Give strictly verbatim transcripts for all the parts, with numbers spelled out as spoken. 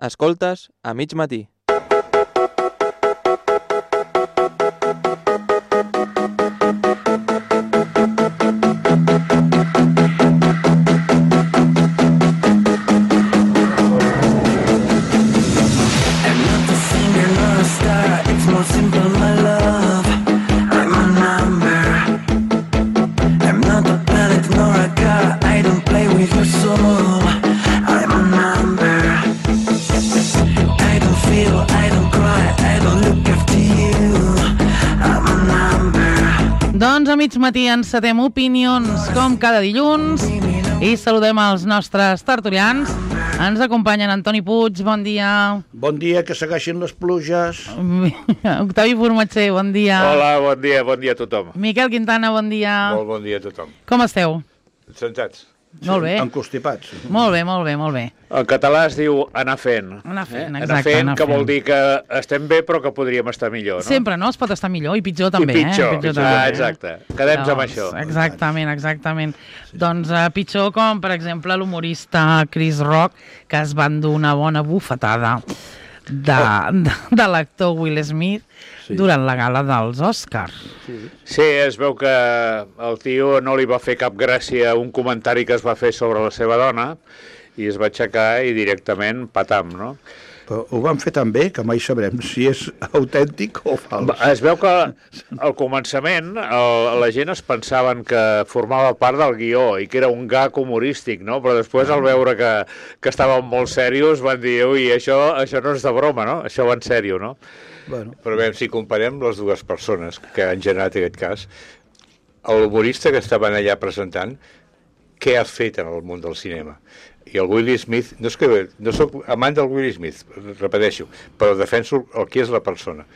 Escoltes a mig matí. Doncs a mig matí encetem opinions com cada dilluns i saludem els nostres tertulians. Ens acompanyen Antoni Puig, bon dia. Bon dia, que segueixin les pluges. Octavi Formatger, bon dia. Hola, bon dia, bon dia a tothom. Miquel Quintana, bon dia. Molt bon dia a tothom. Com esteu? Sentats. Molt bé. Encostipats. Molt bé, molt bé, molt bé. En català es diu anar fent. Anar fent, eh? exacte. Anar fent, anar que fent. vol dir que estem bé però que podríem estar millor, no? Sempre, no? Es pot estar millor i pitjor també, I pitjor, eh? Pitjor pitjor. també, Ah, exacte. Quedem-nos amb Doncs, això. Exactament, exactament. Doncs uh, pitjor com, per exemple, l'humorista Chris Rock, que es van dur una bona bufetada de, de, de l'actor Will Smith sí. durant la gala dels Oscars. Sí. sí, es veu que el tio no li va fer cap gràcia a un comentari que es va fer sobre la seva dona i es va aixecar i directament patam, no? Però ho van fer tan bé que mai sabrem si és autèntic o fals. Es veu que al començament el, la gent es pensaven que formava part del guió i que era un gag humorístic, no? Però després al veure que, que estaven molt serios van dir, ui, això, això no és de broma, no? Això va en sèrio, no? Bueno. Però bé, si comparem les dues persones que han generat aquest cas, l'humorista que estaven allà presentant, què ha fet en el món del cinema? I el Will Smith, no és que no soc amant del Will Smith, repeteixo, però defenso el que és la persona.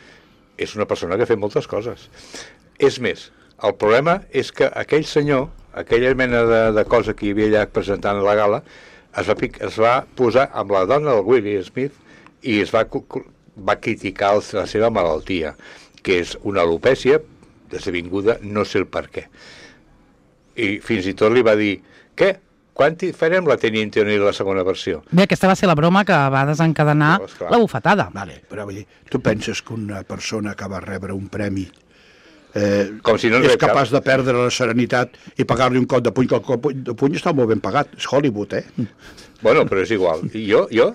És una persona que ha fet moltes coses. És més, el problema és que aquell senyor, aquella mena de, de cosa que hi havia allà presentant a la gala, es va, es va posar amb la dona del Will Smith i es va, va criticar la seva malaltia, que és una alopècia desvinguda, no sé el per què. I fins i tot li va dir, què? Quan farem la Teniente O'Neill la segona versió? Bé, aquesta va ser la broma que va desencadenar no, la bufetada. Vale, però vull dir, tu penses que una persona que va rebre un premi eh, Com si no és res capaç cap. de perdre la serenitat i pagar-li un cop de puny, que el cop de puny està molt ben pagat, és Hollywood, eh? Bueno, però és igual. I jo, jo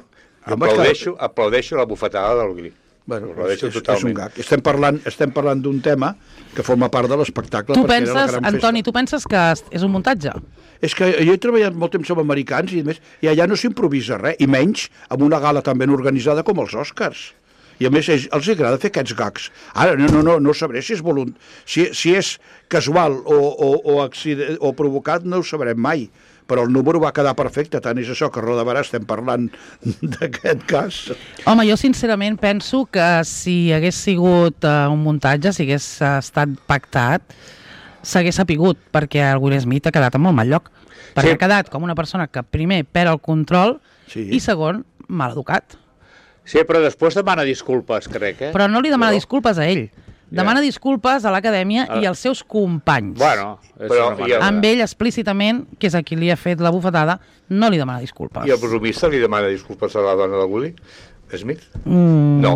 aplaudeixo, aplaudeixo la bufetada del Gri. Bueno, és, és, és un gag. Estem parlant, estem parlant d'un tema que forma part de l'espectacle. Tu penses, Antoni, tu penses que és un muntatge? És que jo he treballat molt temps amb americans i, a més, i allà no s'improvisa res, i menys amb una gala tan ben organitzada com els Oscars. I a més ells, els agrada fer aquests gags. Ara, no, no, no, no sabré si és volunt... Si, si és casual o, o, o, accident, o provocat, no ho sabrem mai. Però el número va quedar perfecte, tant és això que Rodabarà estem parlant d'aquest cas. Home, jo sincerament penso que si hagués sigut uh, un muntatge, si hagués uh, estat pactat, s'hagués sapigut, perquè el Will Smith ha quedat en molt mal lloc. Perquè sí. ha quedat com una persona que primer perd el control sí. i segon, mal educat. Sí, però després demana disculpes, crec, eh? Però no li demana però... disculpes a ell. Demana yeah. disculpes a l'acadèmia ah. i als seus companys. Bueno, però, el... amb ell explícitament, que és a qui li ha fet la bufetada, no li demana disculpes. I el bromista li demana disculpes a la dona de Will Smith? Mm. No.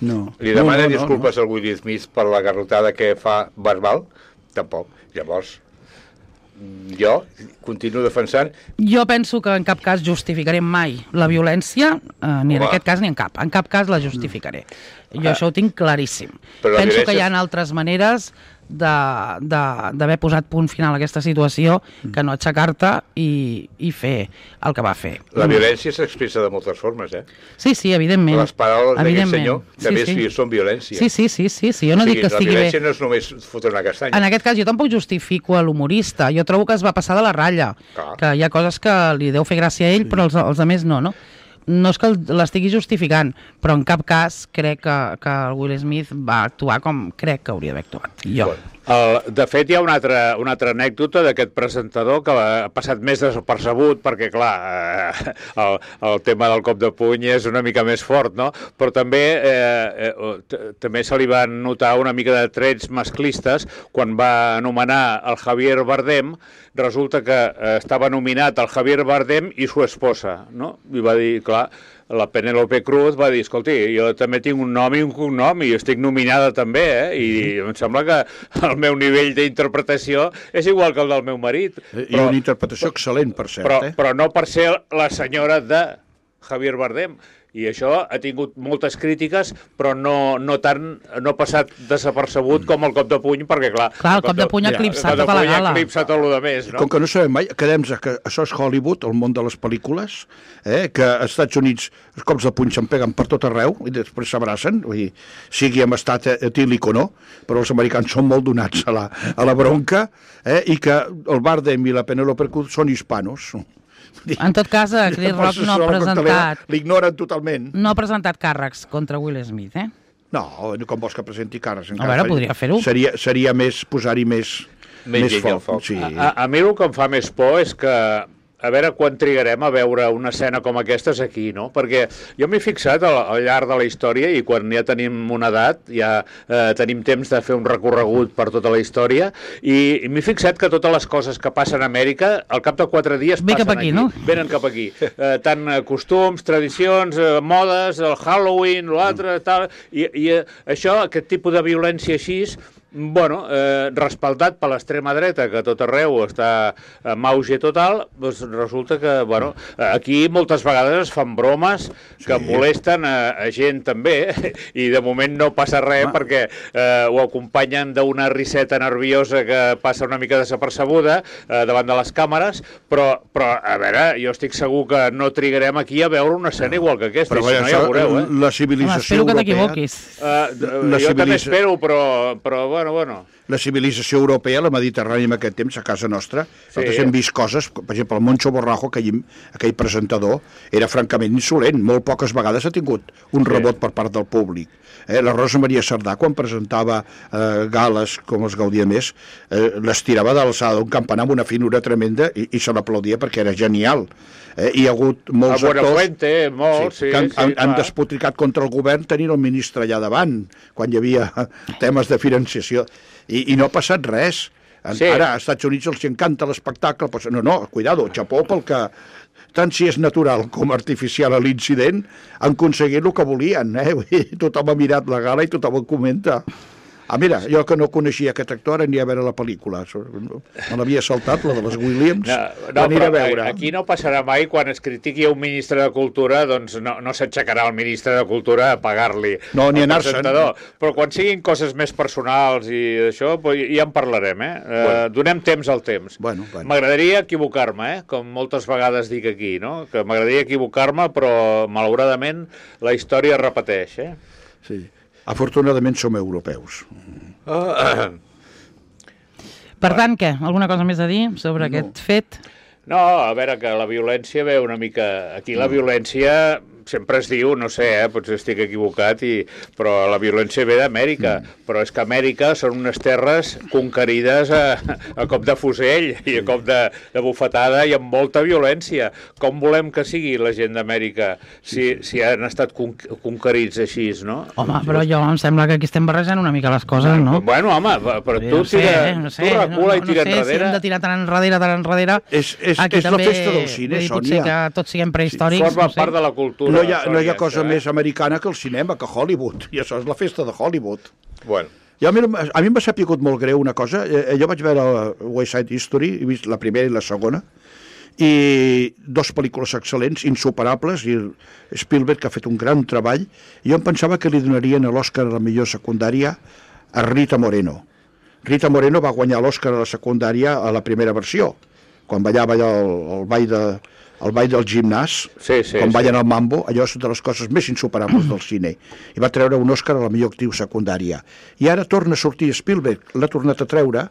No. Li demana no, no, disculpes no, no. al Will Smith per la garrotada que fa verbal? Tampoc. Llavors, jo continuo defensant... Jo penso que en cap cas justificaré mai la violència, eh, ni en Home. aquest cas ni en cap. En cap cas la justificaré. Jo Ah. això ho tinc claríssim. Però Penso violència... que hi ha altres maneres d'haver posat punt final a aquesta situació que no aixecar-te i, i fer el que va fer. La violència s'expressa de moltes formes, eh? Sí, sí, evidentment. Les paraules d'aquest senyor també sí, sí. són violència. Sí, sí, sí, sí, sí. Jo no o sigui, dic que estigui bé. La violència no és només fotre una castanya. En aquest cas jo tampoc justifico a l'humorista. Jo trobo que es va passar de la ratlla. Clar. Que hi ha coses que li deu fer gràcia a ell, sí. però els, els altres no, no? No és que l'estigui justificant, però en cap cas crec que, que el Will Smith va actuar com crec que hauria d'haver actuat. Jo. Bueno. El, de fet, hi ha una altra, una altra anècdota d'aquest presentador que ha passat més desapercebut perquè, clar, eh, el, el tema del cop de puny és una mica més fort, no? Però també eh, eh, també se li van notar una mica de trets masclistes quan va anomenar el Javier Bardem. Resulta que eh, estava nominat el Javier Bardem i su esposa, no? I va dir, clar, la Penélope Cruz va dir, escolti, jo també tinc un nom i un cognom i estic nominada també, eh? I em sembla que el meu nivell d'interpretació és igual que el del meu marit. I però, una interpretació excel·lent, per cert. Però, eh? però no per ser la senyora de Javier Bardem. I això ha tingut moltes crítiques, però no, no tant, no ha passat desapercebut com el cop de puny, perquè clar... Clar, el cop de puny ha eclipsat tota la gala. Ha eclipsat tot el de més, no? Com que no sabem mai, quedem que això és Hollywood, el món de les pel·lícules, eh, que als Estats Units els cops de puny se'n peguen per tot arreu i després s'abracen, vull dir, sigui en estat etílic o no, però els americans són molt donats a la, a la bronca, eh, i que el Bardem i la Penélope Cruz són hispanos. En tot cas, Chris Rock no ha presentat... L'ignoren totalment. No ha presentat càrrecs contra Will Smith, eh? No, com vols que presenti càrrecs? A veure, podria fer-ho. Seria, seria més posar-hi més, més, més foc. foc. Sí. A, a mi el que em fa més por és que a veure quan trigarem a veure una escena com aquestes aquí, no? Perquè jo m'he fixat al, al llarg de la història i quan ja tenim una edat, ja eh, tenim temps de fer un recorregut per tota la història i, i m'he fixat que totes les coses que passen a Amèrica al cap de quatre dies Ve passen cap aquí, aquí, no? Venen cap aquí. Eh, tant eh, costums, tradicions, eh, modes, el Halloween, l'altre, tal, i, i eh, això, aquest tipus de violència així, bueno, eh, respaldat per l'extrema dreta, que a tot arreu està en auge total, doncs resulta que, bueno, aquí moltes vegades es fan bromes que sí. molesten a, a gent també, i de moment no passa res ah. perquè eh, ho acompanyen d'una riseta nerviosa que passa una mica desapercebuda eh, davant de les càmeres, però, però, a veure, jo estic segur que no trigarem aquí a veure una escena igual que aquesta, però, i si no ja ho veureu, eh? La civilització Home, espero que europea... t'equivoquis. Uh, jo civilitza... també espero, però, però bueno, bueno. La civilització europea, la Mediterrània en aquest temps, a casa nostra, sí. nosaltres hem vist coses, per exemple, el Moncho Borrajo, aquell, aquell presentador, era francament insolent, molt poques vegades ha tingut un rebot sí. per part del públic. Eh, la Rosa Maria Sardà, quan presentava eh, gales, com els gaudia més, eh, les tirava de l'alçada d'un campanar amb una finura tremenda i, i se l'aplaudia perquè era genial. Eh, hi ha hagut molts a actors Fuente, molt, sí, sí, que han, sí, han, clar. han despotricat contra el govern tenint el ministre allà davant, quan hi havia temes de financiació. I, i no ha passat res. Sí. Ara, als Estats Units els encanta l'espectacle, però no, no, cuidado, xapó pel que, tant si és natural com artificial a l'incident, han aconseguit el que volien. Eh? Tothom ha mirat la gala i tothom ho comenta. Ah, mira, jo que no coneixia aquest actor ni a veure la pel·lícula. Me l'havia saltat, la de les Williams. No, no, a veure. Aquí no passarà mai quan es critiqui a un ministre de Cultura, doncs no, no s'aixecarà el ministre de Cultura a pagar-li no, ni el anar-se'n. presentador. Però quan siguin coses més personals i això, ja en parlarem, eh? Bueno. Uh, donem temps al temps. Bueno, bueno. M'agradaria equivocar-me, eh? Com moltes vegades dic aquí, no? Que m'agradaria equivocar-me, però malauradament la història es repeteix, eh? Sí. Afortunadament som europeus. Uh, per tant, què? Alguna cosa més a dir sobre no. aquest fet? No, a veure, que la violència ve una mica... Aquí la violència sempre es diu, no sé, eh, potser estic equivocat, i, però la violència ve d'Amèrica, mm. però és que Amèrica són unes terres conquerides a, a cop de fusell i a cop de, de bufetada i amb molta violència. Com volem que sigui la gent d'Amèrica si, si han estat con, conquerits així, no? Home, però jo em sembla que aquí estem barrejant una mica les coses, no? Bueno, home, però tu, no sé, tira, eh, no sé, tu recula no, no, i tira no sé enrere. Si hem de tirar tan enrere, tan enrere... És, és, aquí és també, la festa del cine, dir, Sònia. potser que tots siguem prehistòrics. Forma no sé. part de la cultura. No hi ha, no hi ha Sònia, cosa eh? més americana que el cinema, que Hollywood. I això és la festa de Hollywood. Bueno. Ja, mira, a mi m'ha sapigut molt greu una cosa. Eh, jo vaig veure West Side History, he vist la primera i la segona, i dos pel·lícules excel·lents, insuperables, i Spielberg, que ha fet un gran treball, i jo em pensava que li donarien l'Oscar a la millor secundària a Rita Moreno. Rita Moreno va guanyar l'Oscar a la secundària a la primera versió, quan ballava allò el, el ball de... el ball del gimnàs, sí, sí, quan sí. ballen al mambo, allò és de les coses més insuperables del cine. I va treure un Òscar a la millor actriu secundària. I ara torna a sortir Spielberg, l'ha tornat a treure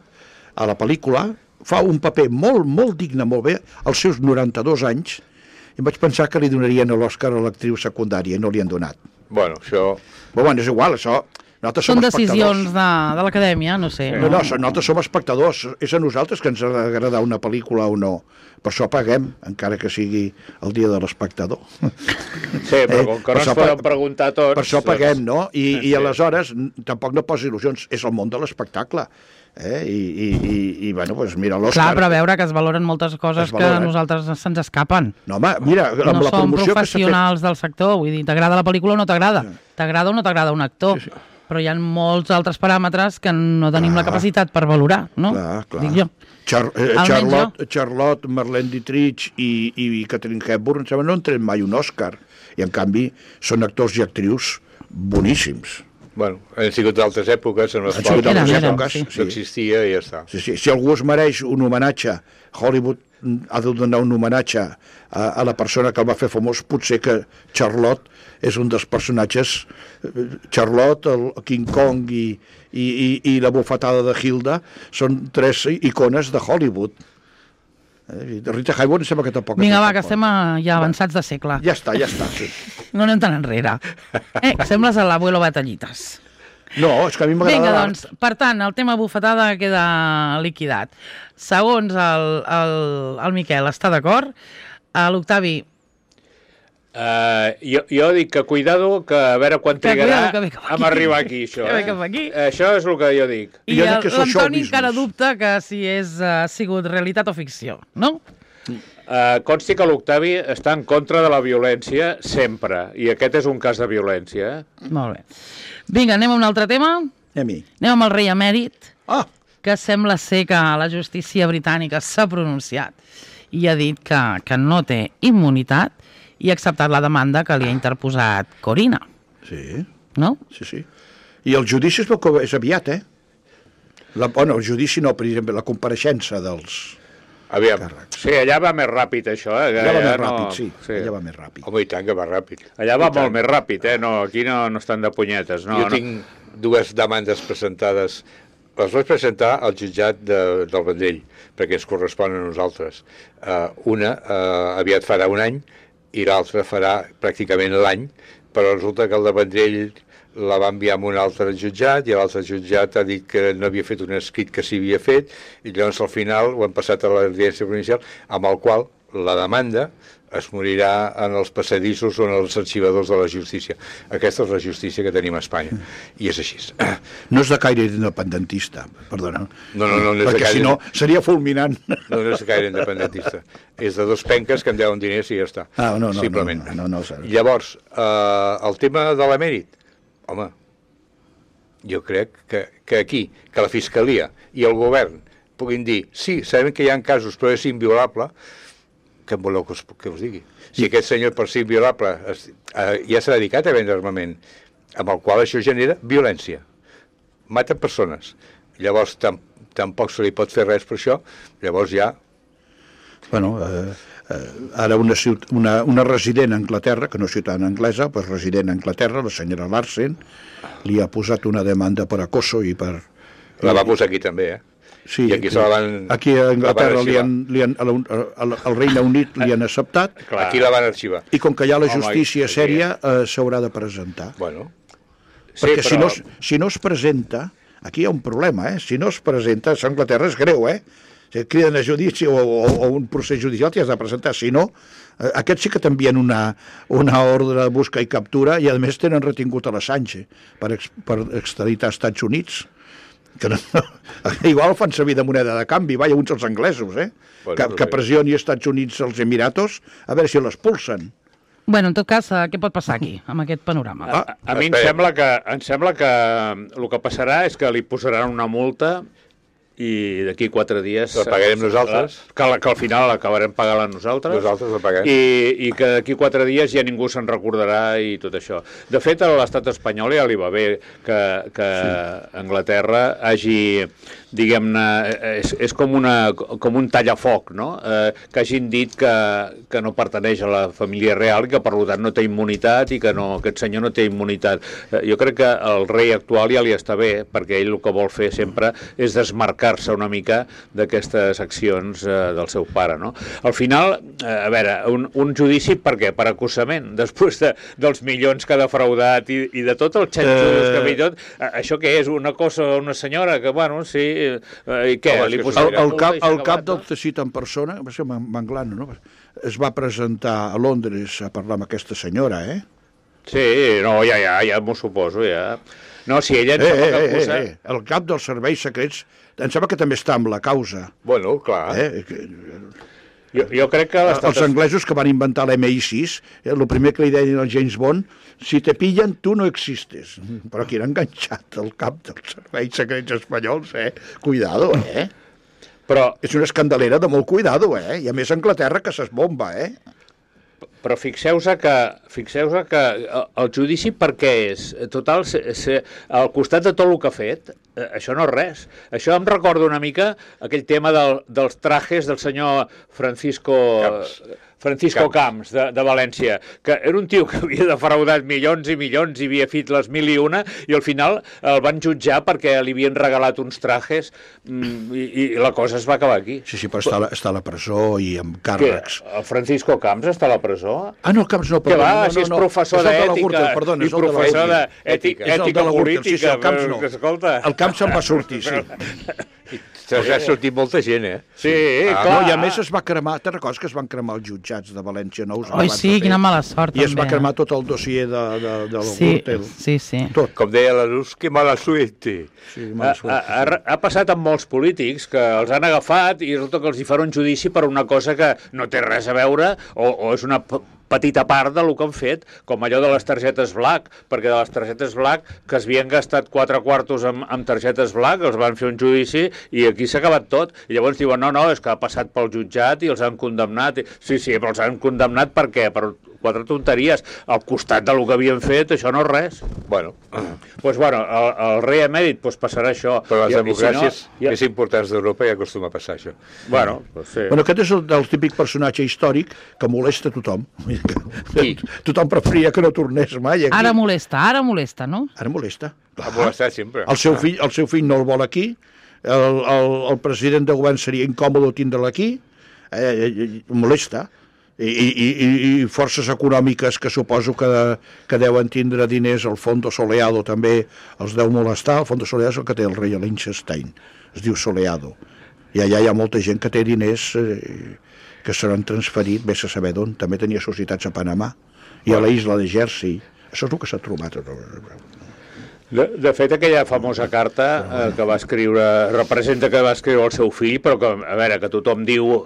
a la pel·lícula, fa un paper molt, molt digne, molt bé, als seus noranta-dos anys, i vaig pensar que li donarien l'Òscar a l'actriu secundària, i no li han donat. Bueno, això... Però bueno, és igual, això... Nosaltres Són som decisions espectadors. de, de l'acadèmia, no sé. No, no, so- nosaltres som espectadors. És a nosaltres que ens ha d'agradar una pel·lícula o no. Per això paguem, encara que sigui el dia de l'espectador. Sí, però com que per no això ens poden pa- preguntar tots... Per això paguem, no? I, Sí. i aleshores n- tampoc no posa il·lusions. És el món de l'espectacle. Eh? I, i, i, i, bueno, doncs mira, l'Òscar... Clar, però a veure que es valoren moltes coses Es valoren. que a nosaltres se'ns escapen. No, home, mira, amb No la som promoció que s'ha fet... professionals del sector, vull dir, t'agrada la pel·lícula o no t'agrada? T'agrada o no t'agrada un actor? Sí, sí. Però hi ha molts altres paràmetres que no tenim Clar. la capacitat per valorar, no? Clar, clar. Dic jo. Char eh, Almenys Charlotte, Charlotte, Marlene Dietrich i, i Catherine Hepburn, em sembla, no han tret mai un Òscar. I, en canvi, són actors i actrius boníssims. Bueno, han sigut d'altres èpoques en les Han quals sigut d'altres Eren, eren, èpoques, sí. no existia i ja està. Sí, sí. Si algú es mereix un homenatge, Hollywood ha de donar un homenatge a, a la persona que el va fer famós, potser que Charlotte és un dels personatges. Charlotte, el King Kong i, i, i, i la bufetada de Hilda són tres icones de Hollywood. Eh? De Rita Hayworth em sembla que tampoc... Vinga, va, tampoc. que estem a, ja avançats de segle. Ja està, ja està, sí. No anem tan enrere. Eh, sembles a l'abuelo Batallites. No, és que a mi m'agrada Vinga, l'art. doncs, per tant, el tema bufetada queda liquidat. Segons el, el, el Miquel, està d'acord? A l'Octavi, Uh, jo, jo dic que cuidado, que a veure quan Que trigarà cuidado, que ve cap aquí. a arribar aquí, això. Que ve Eh? cap aquí. Això és el que jo dic. i Jo dic el- que és el show l'Antoni business. encara dubta que si és, ha sigut realitat o ficció, no? Uh, consti que l'Octavi està en contra de la violència sempre, i aquest és un cas de violència. Eh? Molt bé. Vinga, anem a un altre tema. A mi. Anem amb el rei emèrit, Ah, que sembla ser que la justícia britànica s'ha pronunciat i ha dit que, que no té immunitat i ha acceptat la demanda que li ha interposat Corina, sí, no? sí, sí. I el judici es veu que és aviat, eh? La, bueno, el judici no, per exemple, la compareixença dels... Aviam, Càrrecs. Sí, allà va més ràpid, això. Eh? Ja va Allà més no- ràpid, sí, sí. ja va més ràpid. home, i tant que va ràpid. Allà va I tant. molt més ràpid, eh? No, aquí no, no estan de punyetes. No, jo no. tinc dues demandes presentades. Les vaig presentar al jutjat de, del Vendrell, perquè ens correspon a nosaltres. Uh, una uh, aviat farà un any i l'altra farà pràcticament l'any, però resulta que el de Vendrell la va enviar a un altre jutjat i l'altre jutjat ha dit que no havia fet un escrit que s'hi havia fet i llavors al final ho han passat a l'audiència provincial, amb el qual la demanda es morirà en els passadissos o en els arxivadors de la justícia. Aquesta és la justícia que tenim a Espanya, i és així. No és de caire independentista, perdona. No, no, no, no és de Perquè caire- si no seria fulminant. No, no és gaire independentista. És de dos penques que em deuen diners i ja està. Ah, no, no, Simplement. no, no, no, no, no. Llavors, eh, el tema de l'emèrit, home, jo crec que, que aquí, que la Fiscalia i el govern puguin dir, sí, sabem que hi ha casos, però és inviolable, què em voleu que us, que us digui? Si aquest senyor, per ser inviolable, es, eh, ja s'ha dedicat a vendre armament, amb el qual això genera violència. Mata persones. Llavors, tam, tampoc se li pot fer res per això, llavors ja... Bueno, eh, eh, ara una, ciut- una, una resident a Anglaterra, que no és ciutadana anglesa, però és resident a Anglaterra, la senyora Larsen, li ha posat una demanda per acoso i per... La va posar aquí també, eh? Sí, I aquí se la van- aquí a Anglaterra la van li han, li han, a la, a la, al Regne Unit li han acceptat Clar. Aquí la van arxivar. i com que hi ha la Home, justícia aquí- sèria eh, s'haurà de presentar. Bueno, Perquè Sí, si, no, però- es- si no es presenta, aquí hi ha un problema, eh? Si no es presenta, a Anglaterra és greu, eh? Si et criden a judici o, o, o un procés judicial t'hi has de presentar, si no, eh, aquests sí que t'envien una, una ordre de busca i captura i a més tenen retingut a l'Assange per, ex, per extraditar als Estats Units. Que no, no, igual fan servir de moneda de canvi, vaja, uns els anglesos, eh? Bueno, que, no que sé. pressioni als Estats Units els Emiratos a veure si l'expulsen. Bueno, en tot cas, eh, què pot passar aquí, amb aquest panorama? Ah, A, a mi em espera. sembla, que, em sembla que el que passarà és que li posaran una multa i d'aquí quatre dies... La pagarem nosaltres. Que, la- que al final l'acabarem pagant nosaltres. nosaltres la paguem. I, i que d'aquí quatre dies ja ningú se'n recordarà i tot això. De fet, a l'estat espanyol ja li va bé que, que sí. Anglaterra hagi, diguem-ne, és, és com, una, com un tallafoc, no? Eh, que hagin dit que, que no pertaneix a la família real i que per tant no té immunitat i que no, aquest senyor no té immunitat. Eh, jo crec que el rei actual ja li està bé, perquè ell el que vol fer sempre és desmarcar desmarcar-se una mica d'aquestes accions eh, del seu pare, no? Al final, eh, a veure, un, un judici per què? Per acusament, després de, dels milions que ha defraudat i, i de tot el xanxullos que ha fet tot, eh, això què és? Una cosa, una senyora que, bueno, sí, eh, i què? Home, Li el, El, el, cap, el cap no? del teixit en persona, va ser Manglano, no? Es va presentar a Londres a parlar amb aquesta senyora, eh? Sí, no, ja, ja, ja m'ho suposo, ja. No, si ella em Eh, sembla eh, que eh, acusa... eh, el cap dels serveis secrets, em sembla que també està amb la causa. Bueno, clar. Eh? Que- Jo, jo crec que l'estat... Els anglesos que van inventar l'M I sis, eh, el primer que li deien al James Bond, si te pillen, tu no existes. Però aquí era enganxat el cap dels serveis secrets espanyols, eh? Cuidado, eh? Però, És una escandalera de molt cuidado, eh? I a més a Anglaterra que s'esbomba, eh? però fixeu-vos que, fixeu que el judici per què és? Total, se, se, al costat de tot el que ha fet, eh, això no és res. Això em recorda una mica aquell tema del, dels trajes del senyor Francisco... Camps. Francisco Camps, Camps de, de València, que era un tio que havia defraudat milions i milions i havia fet les mil i una i al final el van jutjar perquè li havien regalat uns trajes mm, i, i la cosa es va acabar aquí. Sí, sí, però està a la, està a la presó i amb càrrecs. Què? El Francisco Camps està a la presó? Ah, no, Camps no, Que perdona. va, no, si és no, professor és el de la d'ètica Gürtel, perdona, i és el de la professor Gürtel. d'ètica És el de la Gürtel, sí, sí, el Camps no. que escolta... El Camps se'n va sortir, sí. Se'ls ha sortit molta gent, eh? Sí, Ah, clar. No, i a més es va cremar, te'n recordes que es van cremar els jutjats de València nous? Oi, sí, quina mala sort, I es va també, cremar eh? tot el dossier de, de, de la Sí, Gürtel. sí, sí. Tot. Com deia la Luz, que mala suerte. Sí, Ha, mala ha, sort. ha, ha passat amb molts polítics que els han agafat i resulta que els hi farà un judici per una cosa que no té res a veure o, o és una p- petita part del que han fet, com allò de les targetes Black, perquè de les targetes Black que es havien gastat quatre quartos amb, amb targetes Black, els van fer un judici i aquí s'ha acabat tot. I llavors diuen, no, no, és que ha passat pel jutjat i els han condemnat. Sí, sí, però els han condemnat per què? Per quatre tonteries. Al costat del que havien fet, això no és res. Bueno, Doncs, pues, bueno, el, el rei emèrit pues, passarà això. però les I- i democràcies si no, més importants d'Europa ja acostuma a passar això. Bueno, pues, sí. Bueno, aquest és el, el típic personatge històric que molesta tothom. Qui? Tothom preferia que no tornés mai aquí. Ara molesta, ara molesta, no? Ara molesta. Ha molestat sempre. El seu fill, el seu fill no el vol aquí, el, el, el president de govern seria incòmode tindre'l aquí, eh, eh, molesta. I, i, i, i forces econòmiques que suposo que, que deuen tindre diners, el Fondo Soleado també els deu molestar. El Fondo Soleado és el que té el rei Liechtenstein, es diu Soleado. I allà hi ha molta gent que té diners eh, que seran transferits, vés a saber d'on. També tenia societats a Panamà i a la isla de Jersey. Això és el que s'ha trobat. De, de fet, aquella famosa carta eh, que va escriure, representa que va escriure el seu fill, però que, a veure, que tothom diu,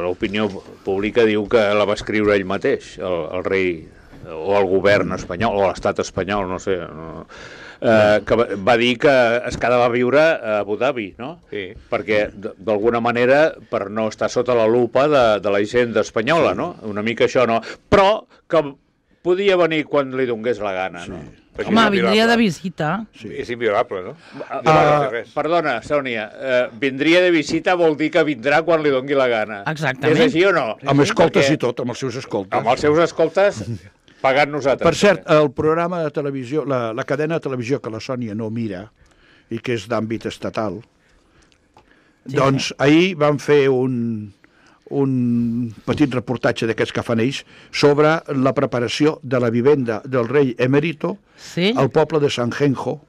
l'opinió pública diu que la va escriure ell mateix, el, el rei, o el govern espanyol, o l'estat espanyol, no sé, no, eh, que va, va dir que es quedava a viure a Abu Dhabi, no? Sí. Perquè, d- d'alguna manera, per no estar sota la lupa de, de la hisenda espanyola, no? Una mica això, no? Però que podia venir quan li donés la gana, no? Perquè Home, és vindria inviolable. de visita. Sí. És inviolable, no? Ah, No va fer res. perdona, Sònia, eh, vindria de visita vol dir que vindrà quan li doni la gana. Exactament. És així o no? Amb escoltes Perquè i tot, amb els seus escoltes. Amb els seus escoltes, pagant nosaltres. Per cert, el programa de televisió, la, la cadena de televisió que la Sònia no mira i que és d'àmbit estatal, sí, doncs ahir van fer un, un petit reportatge d'aquests que fan ells sobre la preparació de la vivenda del rei emèrito Sí? al poble de San Genjo,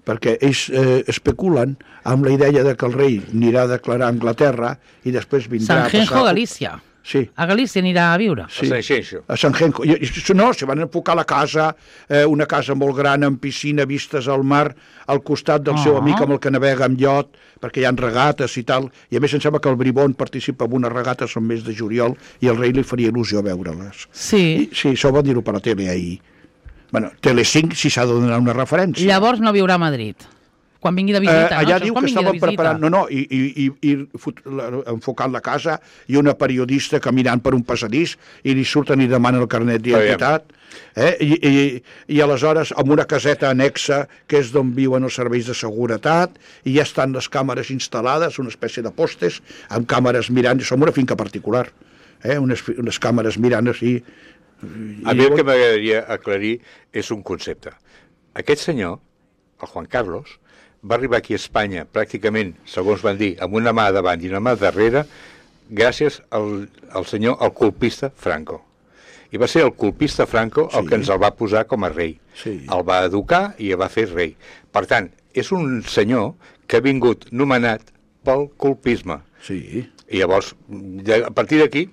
perquè ells eh, especulen amb la idea de que el rei anirà a declarar a Anglaterra i després vindrà San Genjo, a passar... Galícia. Sí. A Galícia anirà a viure. Sí. A Sant Xenxo. A Sant Genjo. I, i, no, se van enfocar la casa, eh, una casa molt gran, amb piscina, vistes al mar, al costat del Ah. seu amic amb el que navega amb iot, perquè hi ha regates i tal. I a més em sembla que el Bribón participa en una regata, són mes de juliol, i el rei li faria il·lusió veure-les. Sí. I, sí, això ho van dir-ho per la tele ahir. Bueno, Telecinc, si s'ha de donar una referència. Llavors no viurà a Madrid. Quan vingui de Eh, visita, allà no? diu Això és quan que vingui de estaven visita. preparant, no, no, i, i, i, i fot, la, enfocant la casa i una periodista caminant per un passadís i li surten i demanen el carnet d'identitat. Eh? I, i, I aleshores amb una caseta anexa que és d'on viuen els serveis de seguretat i ja estan les càmeres instal·lades, una espècie de postes amb càmeres mirant, som una finca particular, eh? unes, unes càmeres mirant així. A mi el que m'agradaria aclarir és un concepte. Aquest senyor, el Juan Carlos, va arribar aquí a Espanya, pràcticament, segons van dir, amb una mà davant i una mà darrere, gràcies al, al senyor, el colpista Franco. I va ser el colpista Franco el Sí. que ens el va posar com a rei. Sí. El va educar i el va fer rei. Per tant, és un senyor que ha vingut nomenat pel colpisme. Sí. I llavors, ja, a partir d'aquí,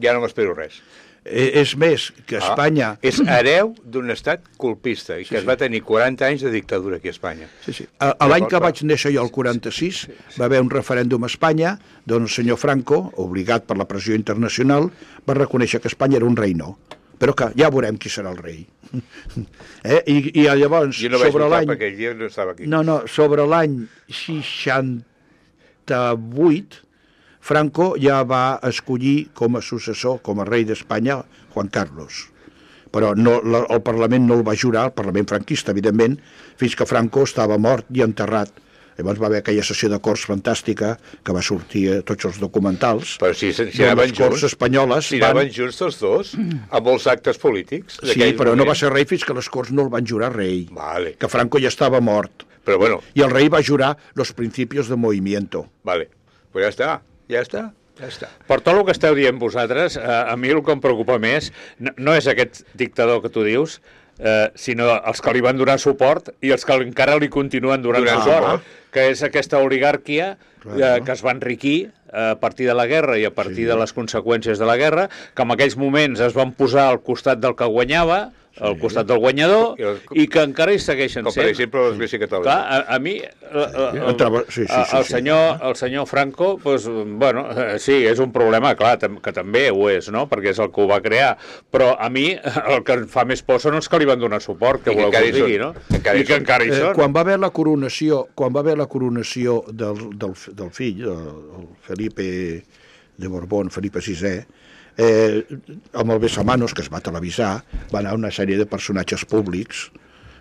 ja no m'espero res. Eh, És més, que Espanya... Ah, és hereu d'un estat colpista i que Sí, es sí. va tenir quaranta anys de dictadura aquí a Espanya. Sí, sí. A, a l'any que Llavors, vaig néixer jo, el quaranta-sis, va haver un referèndum a Espanya d'on el senyor Franco, obligat per la pressió internacional, va reconèixer que Espanya era un reino. Però que ja veurem qui serà el rei. Eh? I, I llavors, Jo no vaig sobre votar l'any... perquè aquell dia no estava aquí. No, no, sobre l'any seixanta-vuit, Franco ja va escollir com a successor, com a rei d'Espanya, Juan Carlos. Però no, la, el Parlament no el va jurar, el Parlament franquista, evidentment, fins que Franco estava mort i enterrat. Llavors va haver aquella sessió de Corts fantàstica que va sortir a tots els documentals. Però si, si, si d'on anaven les Corts junts, espanyoles si van... anaven junts tots dos, a molts actes polítics. Sí, d'aquell però no moment. va ser rei fins que les Corts no el van jurar rei. Vale. Que Franco ja estava mort. Però bueno, I el rei va jurar los principios de movimiento. vale. Pues ja està, ja està, ja està. Per tot el que esteu dient vosaltres, eh, a mi el que em preocupa més no, no és aquest dictador que tu dius, eh, sinó els que li van donar suport i els que encara li continuen donant Donant suport, suport. que és aquesta oligarquia eh, Claro. que es va enriquir a partir de la guerra i a partir sí. de les conseqüències de la guerra, que en aquells moments es van posar al costat del que guanyava, al costat del guanyador, I els- i que encara hi segueixen Com per sent. exemple l'Església Catòlica. Clar, a, a mi el, el, Entrava- sí, sí, sí, el, sí. senyor, el senyor Franco, pues, bueno, eh, sí, és un problema, clar, tam que també ho és, no?, perquè és el que ho va crear, però a mi el que em fa més por són els que li van donar suport, que I que voleu encara que hi us digui, són. no? Encara hi I que són. encara hi Eh, són. quan va haver la coronació, quan va haver la coronació del, del, del fill, el, el Felipe de Borbón, Felipe sisè, eh, amb el Besamanos, que es va televisar, va anar una sèrie de personatges públics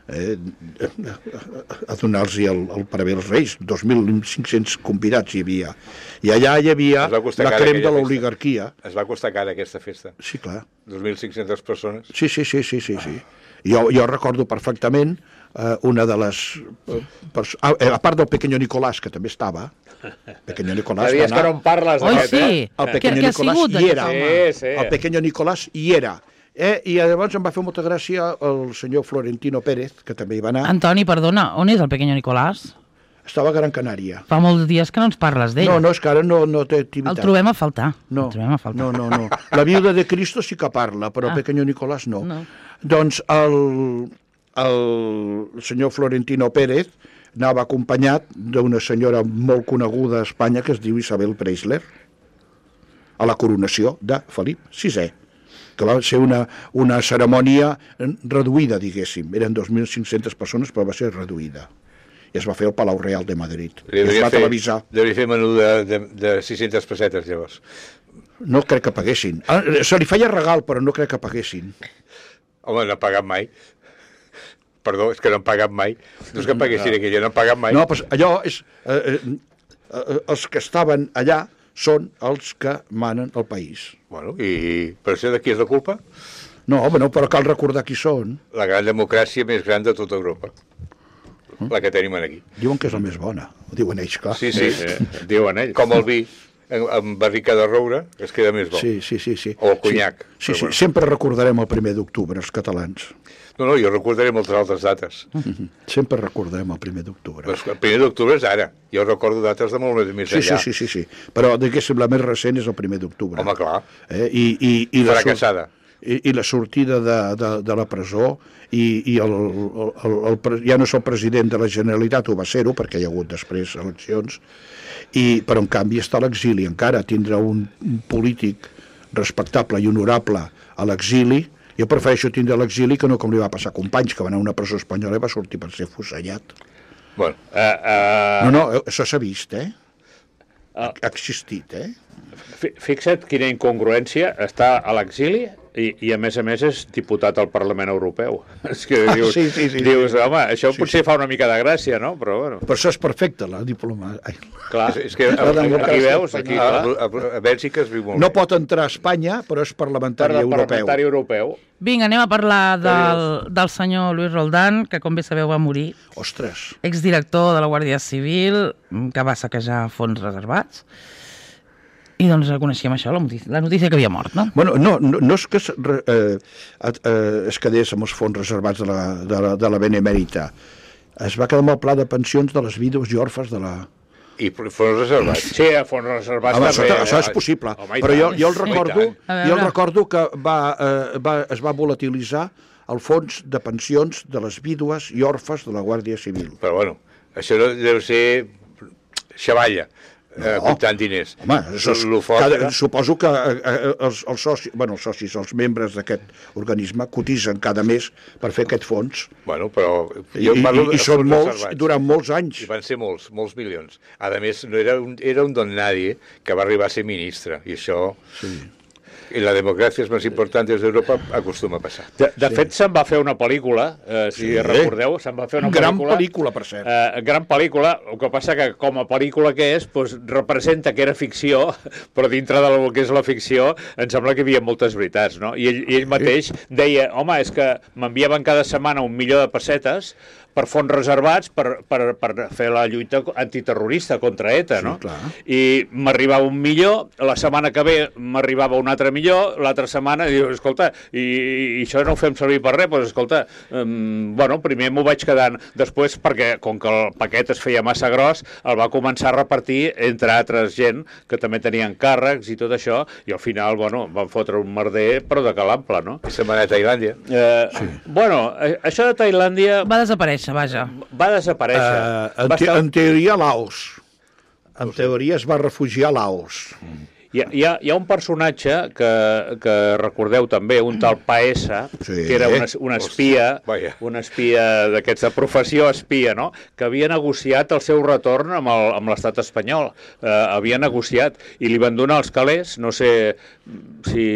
eh, a donar-los el, el paravé als reis. dos mil cinc-cents convidats hi havia. I allà hi havia Es va costar la cara crem de aquella festa. l'oligarquia. Es va costar cara aquesta festa. Sí, clar. dos mil cinc-centes persones. Sí, sí, sí, sí, sí, sí. Jo, jo recordo perfectament eh, una de les... Eh, pers- ah, eh, a part del Pequeño Nicolás, que també estava, Pequeño Nicolás Fa va dies que no anar... en parles Oi, d'aquest, sí. eh? El Què- Pequeño què ha Nicolás sigut hi era. Sí, sí. El Pequeño Nicolás hi era. Eh? I llavors em va fer molta gràcia el senyor Florentino Pérez, que també hi va anar. Antoni, perdona, on és el pequeño Nicolás? Estava a Gran Canària. Fa molts dies que no ens parles d'ell. No, no, és que ara no, no té activitat. El trobem a faltar. No, El trobem a faltar. no, no, no. La viuda de Cristo sí que parla, però Ah. el Pequeño Nicolás no. No. Doncs el, el senyor Florentino Pérez anava acompanyat d'una senyora molt coneguda a Espanya que es diu Isabel Preisler, a la coronació de Felip sisè, que va ser una, una cerimònia reduïda, diguéssim. Eren dos mil cinc-centes persones, però va ser reduïda. I es va fer al Palau Real de Madrid. I es va televisar. Devia fer menú de, de, de sis-centes pessetes, llavors. No crec que paguessin. Ah, se li feia regal, però no crec que paguessin. Home, no han pagat mai. Perdó, és que no han pagat mai. No és que paguessin aquella, no han pagat mai. No, doncs allò és... Eh, eh, eh, els que estaven allà són els que manen el país. Bueno, i per això de qui és la culpa? No, home, no, però cal recordar qui són. La gran democràcia més gran de tota Europa. La que tenim aquí. Diuen que és la més bona. Ho diuen ells, clar. Sí, sí. Sí, sí, diuen ells. Com el vi, en- amb barrica de roure, es queda més bo. Sí, sí, sí, sí. O el conyac. Sí, sí, Però sí. bueno. Sempre recordarem el primer d'octubre, els catalans. No, no, jo recordaré moltes altres dates. Mhm. Sempre recordarem el primer d'octubre. Però el primer d'octubre és ara. Jo recordo dates de molt més, més Sí, sí, enllà. sí, sí, sí. Però, diguéssim, la més recent és el primer d'octubre. Home, clar. Eh? I, i, i la Fracassada. I, i la sortida de, de, de la presó i, i el, el, el, el, pre- ja no és el president de la Generalitat, ho va ser-ho, perquè hi ha hagut després eleccions, i, però en canvi està a l'exili encara, tindrà un, un polític respectable i honorable a l'exili. Jo prefereixo tindre a l'exili que no com li va passar a Companys, que va anar a una presó espanyola i va sortir per ser fusellat. Bueno, Uh, uh, No, no, això s'ha vist, eh? Ah. Ha existit, eh? Fixa't quina incongruència, està a l'exili i, i a més a més és diputat al Parlament Europeu. És que dius, sí, sí, sí, dius sí. home, això Sí, potser sí. fa una mica de gràcia, no? Però bueno, Per això és perfecte, la diploma. Ai. clar, És, és que a, La a, aquí veus, aquí, a, clar, a, a Bèlgica es viu molt No bé. pot entrar a Espanya, però és parlamentari per europeu. parlamentari europeu. Vinga, anem a parlar del, del senyor Luis Roldán, que com bé sabeu va morir, Ostres. exdirector de la Guàrdia Civil, que va saquejar fons reservats. I doncs coneixíem això, la notícia, la notícia que havia mort, no? Bueno, no, no, no és que es, eh, eh, es quedés amb els fons reservats de la, de la, de la Benemèrita. Es va quedar amb el pla de pensions de les vídues i orfes de la... I fons reservats. Sí, a fons reservats Home, això, també. això eh? és possible, Home, i però jo, tant. jo el Sí, recordo, i tant. A jo el veure. recordo que va, eh, va, es va volatilitzar el fons de pensions de les vídues i orfes de la Guàrdia Civil. Però bueno, això no deu ser xavalla, eh, No. comptant diners. Home, això és, Lo fort cada, era- suposo que eh, eh, els, els, socis, bueno, els socis, els membres d'aquest organisme cotitzen cada mes per fer aquest fons. Bueno, però I, jo i, parlo i de són fons molts, reservats. durant molts anys. I van ser molts, molts milions. A més, no era un, era un don nadie que va arribar a ser ministre, i això... Sí. I la democràcia més important d'Europa acostuma a passar. De, de sí. fet, se'n va fer una pel·lícula, eh, si Sí. recordeu, se'n va fer una Gran pel·lícula... pel·lícula, per cert. Eh, gran pel·lícula, el que passa que com a pel·lícula que és, doncs, representa que era ficció, però dintre del que és la ficció em sembla que hi havia moltes veritats, no? I ell, i ell mateix deia, home, és que m'enviaven cada setmana un milió de pessetes per fons reservats per, per, per fer la lluita antiterrorista contra ETA, Sí, no? clar. I m'arribava un milió, la setmana que ve m'arribava un altre milió, l'altra setmana, i diu, escolta, i, i això no ho fem servir per res, doncs escolta, um, bueno, primer m'ho vaig quedant, després perquè, com que el paquet es feia massa gros, el va començar a repartir entre altres gent que també tenien càrrecs i tot això, i al final, bueno, van fotre un merder, però de calample, no? I se'n va anar a Tailàndia. Eh, sí. Bueno, eh, això de Tailàndia Va desaparèixer, vaja. va desaparèixer. Uh, en, va te, estar... en teoria, Laos. En teoria es va refugiar a Laos. Hi ha, hi, ha, hi ha un personatge que, que recordeu també, un tal Paesa, Sí. que era un, es- un espia, Vaja. un espia d'aquests de professió espia, no? Que havia negociat el seu retorn amb el- amb l'estat espanyol. Eh, havia negociat i li van donar els calés, no sé si...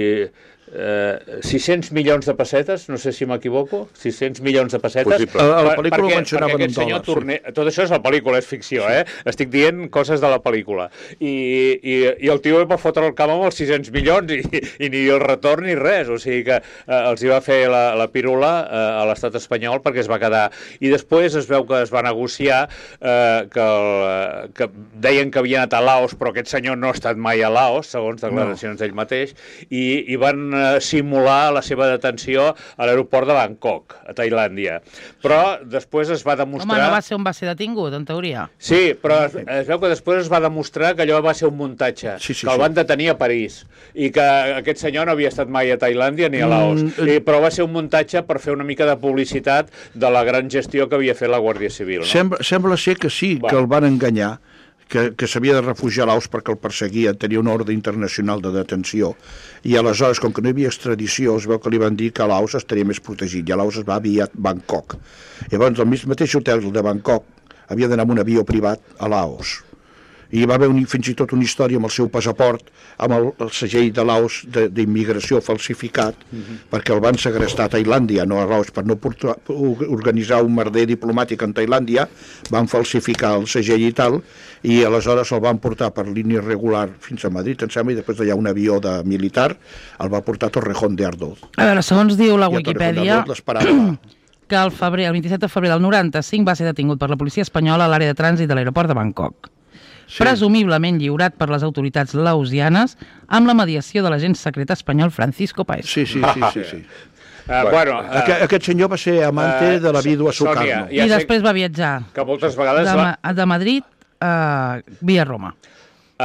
Eh, sis-cents milions de pessetes, no sé si m'equivoco, sis-cents milions de pessetes. Possible. A la Per- pel·lícula ho perquè, mencionaven perquè en aquest senyor dòlars, sí. Torner, tot això és la pel·lícula, és ficció, eh? Estic dient coses de la pel·lícula. I, i, i el tio va fotre el camp amb els sis-cents milions i, i ni el retorn ni res. O sigui que eh, els hi va fer la, la pírula eh, a l'estat espanyol perquè es va quedar. I després es veu que es va negociar eh, que, el, que deien que havia anat a Laos, però aquest senyor no ha estat mai a Laos, segons declaracions d'ell mateix, i, i van eh, simular la seva detenció a l'aeroport de Bangkok, a Tailàndia. Però després es va demostrar... Home, no va ser on va ser detingut, en teoria. Sí, però es, es veu que després es va demostrar que allò va ser un muntatge, Sí, sí, que el sí. van detenir a París i que aquest senyor no havia estat mai a Tailàndia ni a Laos, Mm, I, però va ser un muntatge per fer una mica de publicitat de la gran gestió que havia fet la Guàrdia Civil. No? Sembla, sembla ser que sí, Va. que el van enganyar, que, que s'havia de refugiar a Laos perquè el perseguia, tenia una ordre internacional de detenció. I aleshores, com que no hi havia extradició, es veu que li van dir que a Laos estaria més protegit, i a Laos es va enviar a Bangkok. Llavors, el mateix hotel de Bangkok havia d'anar amb un avió privat a Laos. I hi va haver un, fins i tot una història amb el seu passaport, amb el, el segell de Laos de- d'immigració falsificat, perquè el van segrestar a Tailàndia, no a Laos, per no portar, organitzar un merder diplomàtic en Tailàndia, van falsificar el segell i tal, i aleshores el van portar per línia regular fins a Madrid, em sembla, i després d'allà un avió de militar el va portar a Torrejón de Ardoz. A veure, segons diu la I a Torrejón de Wikipedia, Ardoz l'esperava. que el, febrer, el vint-i-set de febrer del noranta-cinc va ser detingut per la policia espanyola a l'àrea de trànsit de l'aeroport de Bangkok. Sí. Presumiblement lliurat per les autoritats laosianes amb la mediació de l'agent secret espanyol Francisco Paez. Sí, sí, sí, sí, sí. Uh, bueno, uh, Aquest, aquest senyor va ser amante eh, de la vídua Sònia, Sukarno. ja I sé després va viatjar que moltes vegades de, la, Ma- de Madrid a via Roma. Uh,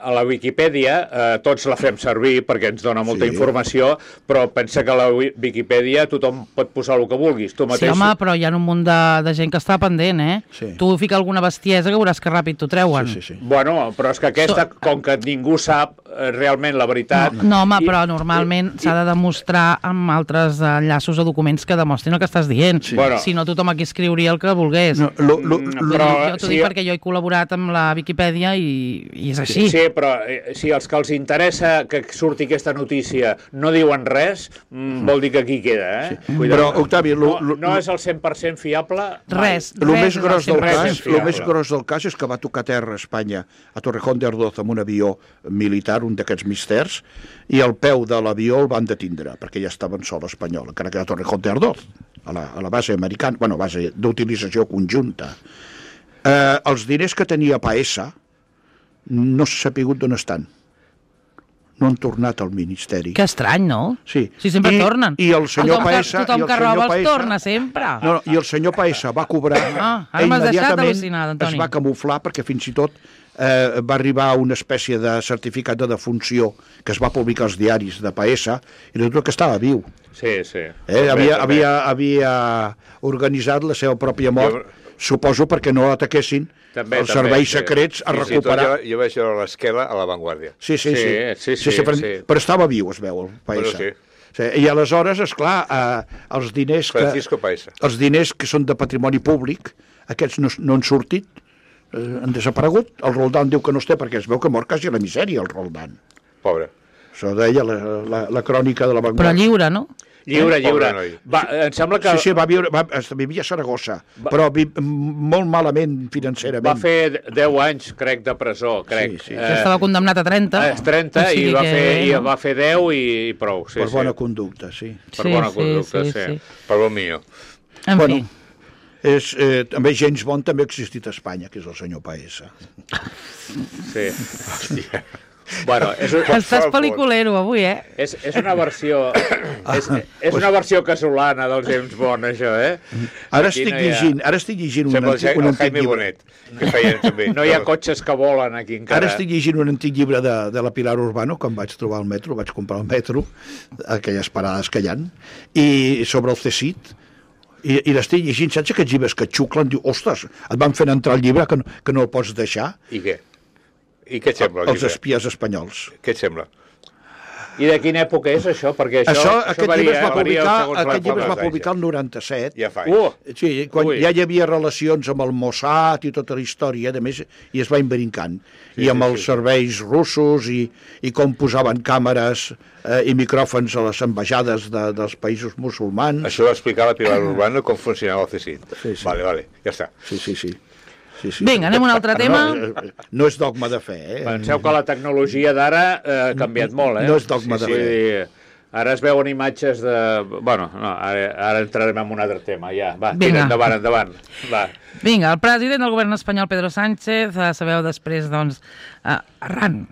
a la Viquipèdia uh, tots la fem servir perquè ens dona molta Sí. informació, però pensa que a la Wi- Viquipèdia tothom pot posar el que vulguis. Tu Sí, mateix... home, però hi ha un munt de, de gent que està pendent, eh? Sí. Tu fica alguna bestiesa que veuràs que ràpid t'ho treuen. Sí, sí, sí. Bueno, però és que aquesta, So- com que ningú sap eh, realment la veritat... No, no, home, i- però normalment i- s'ha de demostrar amb altres enllaços o documents que demostrin el que estàs dient. Sí. Bueno. Si no, tothom aquí escriuria el que volgués. No, lo, lo, Mm, lo, Però, però jo t'ho sí, dic perquè jo he col·laborat amb la Viquipèdia i i és així. Sí, però eh, si els que els interessa que surti aquesta notícia no diuen res, mm, vol dir que aquí queda, eh? Sí. Però, Octavi... Lo, no, no és el cent per cent fiable? Res, El res més gros del res cas, és fiable. el més gros del cas és que va tocar terra a Espanya, a Torrejón de Ardoz, amb un avió militar, un d'aquests misters, i el peu de l'avió el van detindre, perquè ja estava en sol espanyol, encara que a Torrejón de Ardoz, a la, a la base americana, bueno, base d'utilització conjunta. Eh, els diners que tenia Paesa no s'ha sapigut d'on estan. No han tornat al Ministeri. Que estrany, no? Sí. Si sempre I, tornen. I el senyor tothom Paesa... Que, tothom i el que senyor roba els Paesa, torna sempre. No, no, i el senyor Paesa va cobrar... Ah, ara m'has deixat immediatament al·lucinat, Antoni. es va camuflar perquè fins i tot eh, va arribar a una espècie de certificat de defunció que es va publicar als diaris de Paesa i resulta que estava viu. Sí, sí. Eh? També, Havia, també. havia, havia organitzat la seva pròpia mort, Jo- suposo perquè no ataquessin També, els també, serveis sí. secrets a Fins i tot recuperar... Jo, jo vaig veure l'esquela a l'avantguàrdia. Sí, sí, sí. Sí, sí, sí, però, sí. però estava viu, es veu, el Paesa. Bueno, sí. Sí, i aleshores, esclar, eh, els diners que... Francisco Paesa. Els diners que són de patrimoni públic, aquests no, no han sortit, eh, han desaparegut. El Roldán diu que no es té perquè es veu que mor quasi a la misèria, el Roldán. Pobre. Això deia la, la, la crònica de la Però Vanguardia. lliure, no? Lliure, Eh? lliure. Pobre noi. Va, em sembla que Sí, sí, va viure, va, vivia a Saragossa, Va- però vi, molt malament financerament. va fer deu anys, crec, de presó, crec. Sí, sí. Que estava condemnat a trenta. Eh, trenta O sigui i va, que, fer, i no? va fer deu i, i prou. Sí, per sí. bona conducta, sí. per bona conducta, sí. Per bon millor. En Bueno, fi. És, eh, també James Bond també ha existit a Espanya, que és el senyor Paesa. sí. Hòstia. Bueno, és, un- Estàs pel·liculero avui, eh? és, és una versió és, és una versió casolana del James Bond, això, eh? Ara Aquí estic no hi ha- llegint, ara estic llegint un Sembla el, antic, Ja- un el antic Jaime llibre. Bonet, que feien també. No hi ha cotxes que volen aquí encara. Ara estic llegint un antic llibre de, de la Pilar Urbano, que em vaig trobar al metro, vaig comprar al metro, aquelles parades que hi ha, i sobre el C S I T, i, i l'estic llegint, saps aquests llibres que et xuclen, diu, ostres, et van fent entrar el llibre que no, que no el pots deixar, I què? I què et sembla? el els llibre? espies espanyols. Què et sembla? I de quina època és això? Perquè això, Això, aquest varia, llibre es va varia publicar, segons la aquest llibre es va època. publicar el noranta-set. Ja fa Uh, anys. Sí, quan Ui. ja hi havia relacions amb el Mossad i tota la història, a més, i es va imbrincant. Sí, I amb sí, els sí. serveis russos i, i com posaven càmeres eh, i micròfons a les ambaixades de, dels països musulmans. Això va explicar la Pilar Urbano com funcionava el C S I T. Sí, sí. Vale, vale, ja està. Sí, sí, sí. sí, sí. Vinga, anem a un altre tema. No, eh, no és dogma de fe, eh? Penseu que la tecnologia d'ara eh, ha canviat molt, eh? No és dogma de Vull fe. dir, ara es veuen imatges de... Bueno, no, ara, ara entrarem en un altre tema, ja. Va, Vinga. tira, endavant, endavant. Va. Vinga, el president del govern espanyol, Pedro Sánchez, eh, sabeu després, doncs, eh, arran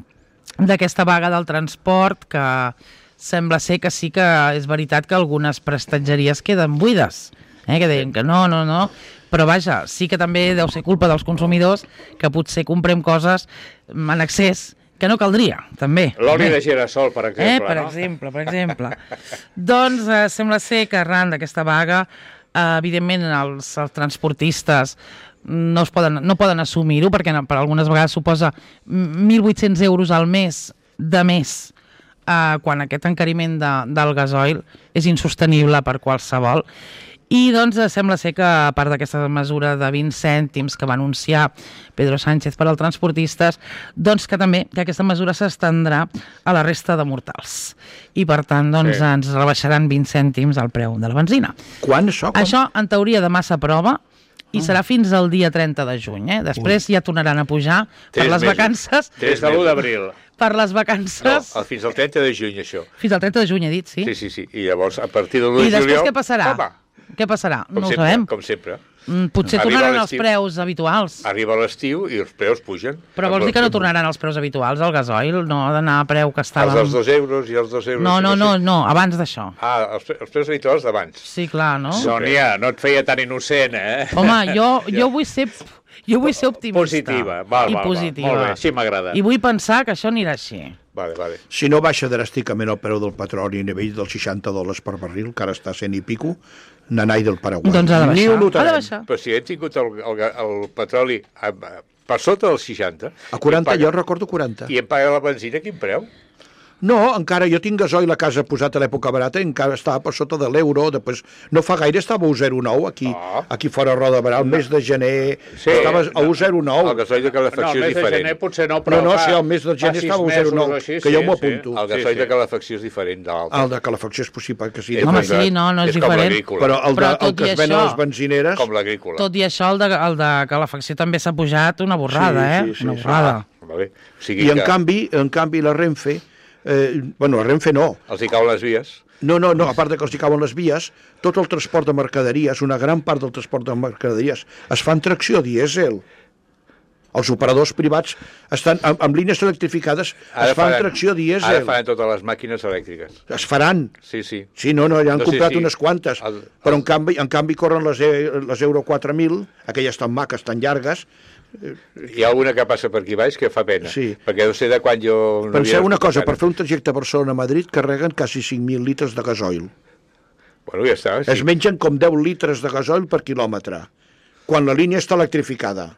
d'aquesta vaga del transport, que sembla ser que sí que és veritat que algunes prestatgeries queden buides, eh, que deien que no, no, no, però vaja, sí que també deu ser culpa dels consumidors que potser comprem coses en excés que no caldria, també. L'oli Eh? de girassol, per exemple, Eh, per no? exemple, per exemple. Doncs eh, sembla ser que arran d'aquesta vaga, eh, evidentment els, els transportistes no, es poden, no poden assumir-ho perquè no, per algunes vegades suposa mil vuit-cents euros al mes de més, eh, quan aquest encariment de, del gasoil és insostenible per qualsevol. I doncs eh, sembla ser que a part d'aquesta mesura de vint cèntims que va anunciar Pedro Sánchez per als transportistes, doncs que també que aquesta mesura s'estendrà a la resta de mortals. I per tant doncs, Sí. sí. ens rebaixaran vint cèntims al preu de la benzina. Quan això? Quan? Això, en teoria, demà s'aprova i serà fins al dia trenta de juny. Eh? Després ja tornaran a pujar per Tres les mesos. vacances. Des de l'u d'abril. Per les No, vacances... el- fins al trenta de juny, això. Fins al trenta de juny, he dit, sí? Sí, sí, sí. I llavors, a partir de l'u I de després juliol... què passarà? Home, Què passarà? com No ho sempre, sabem. com sempre. Mm, Potser Arriba tornaran els l'estiu. preus habituals. Arriba l'estiu i els preus pugen. Però vols dir que no tornaran els preus habituals al gasoil? No ha d'anar a preu que Els estàvem... dels dos euros i els dos euros. No, no, sí, no, sí. no, abans d'això. Ah, els, pre- els preus habituals d'abans. Sí, clar, no? Sònia, no et feia tan innocent, eh? Home, jo, jo vull ser... Jo vull ser optimista. Positiva, val, I val, val. positiva. Molt bé, així m'agrada. I vull pensar que això anirà així. Vale, vale. Si no baixa dràsticament el preu del petroli a nivell dels seixanta dòlars per barril, que ara està a cent i pico, nanai del Paraguai. Doncs ha de Ni baixar. ho Ha de notarem. baixar. Però si hem tingut el, el, ga- el petroli a, a, per sota dels seixanta... A quaranta, i em jo paga, recordo quaranta. I em paga la benzina, quin preu? No, encara jo tinc gasoil a casa posat a l'època barata, encara estava per sota de l'euro, després no fa gaire estava a un zero coma nou aquí, Oh. aquí fora a Roda de Barà, el mes de gener Sí, estava a un zero coma nou. El gasoil de No, calefacció el mes és de diferent. gener potser no, però No, no, fa, sí, el mes de fa gener sis estava a un zero coma nou, mesos o així, que jo sí, m'ho sí. apunto. El gasoil Sí, sí. de calefacció és diferent de l'altre. El de calefacció és possible que sigui. És Home, com sí, no, no és com diferent. l'agrícola. Però el, de, Però el tot que i es ven a això- les benzineres... Com l'agrícola. Tot i això, el de, el de calefacció també s'ha pujat una borrada, Sí, eh? sí, sí, una sí. borrada. Vale. O sigui I en que canvi, en canvi la Renfe, eh, bueno, la Renfe no, els hi cauen les vies. no, no, no, a part de que els hi cauen les vies, tot el transport de mercaderies, una gran part del transport de mercaderies, es fa en tracció dièsel. Els operadors privats estan amb, amb línies electrificades, es fa en tracció Ara dièsel. faran totes les màquines elèctriques. Es faran. Sí, sí. Sí, no, no, ja han No sé comprat si unes quantes, el- però en canvi, en canvi corren les, e- les Euro quatre mil, aquelles tan maques, tan llargues. Hi ha alguna que passa per aquí baix que fa pena. Sí. Perquè no sé de quan jo... no Penseu havia una cosa, escoltat. per fer un trajecte Barcelona-Madrid carreguen quasi cinc mil litres de gasoil. Bueno, ja està. Es Sí. mengen com deu litres de gasoil per quilòmetre, quan la línia està electrificada.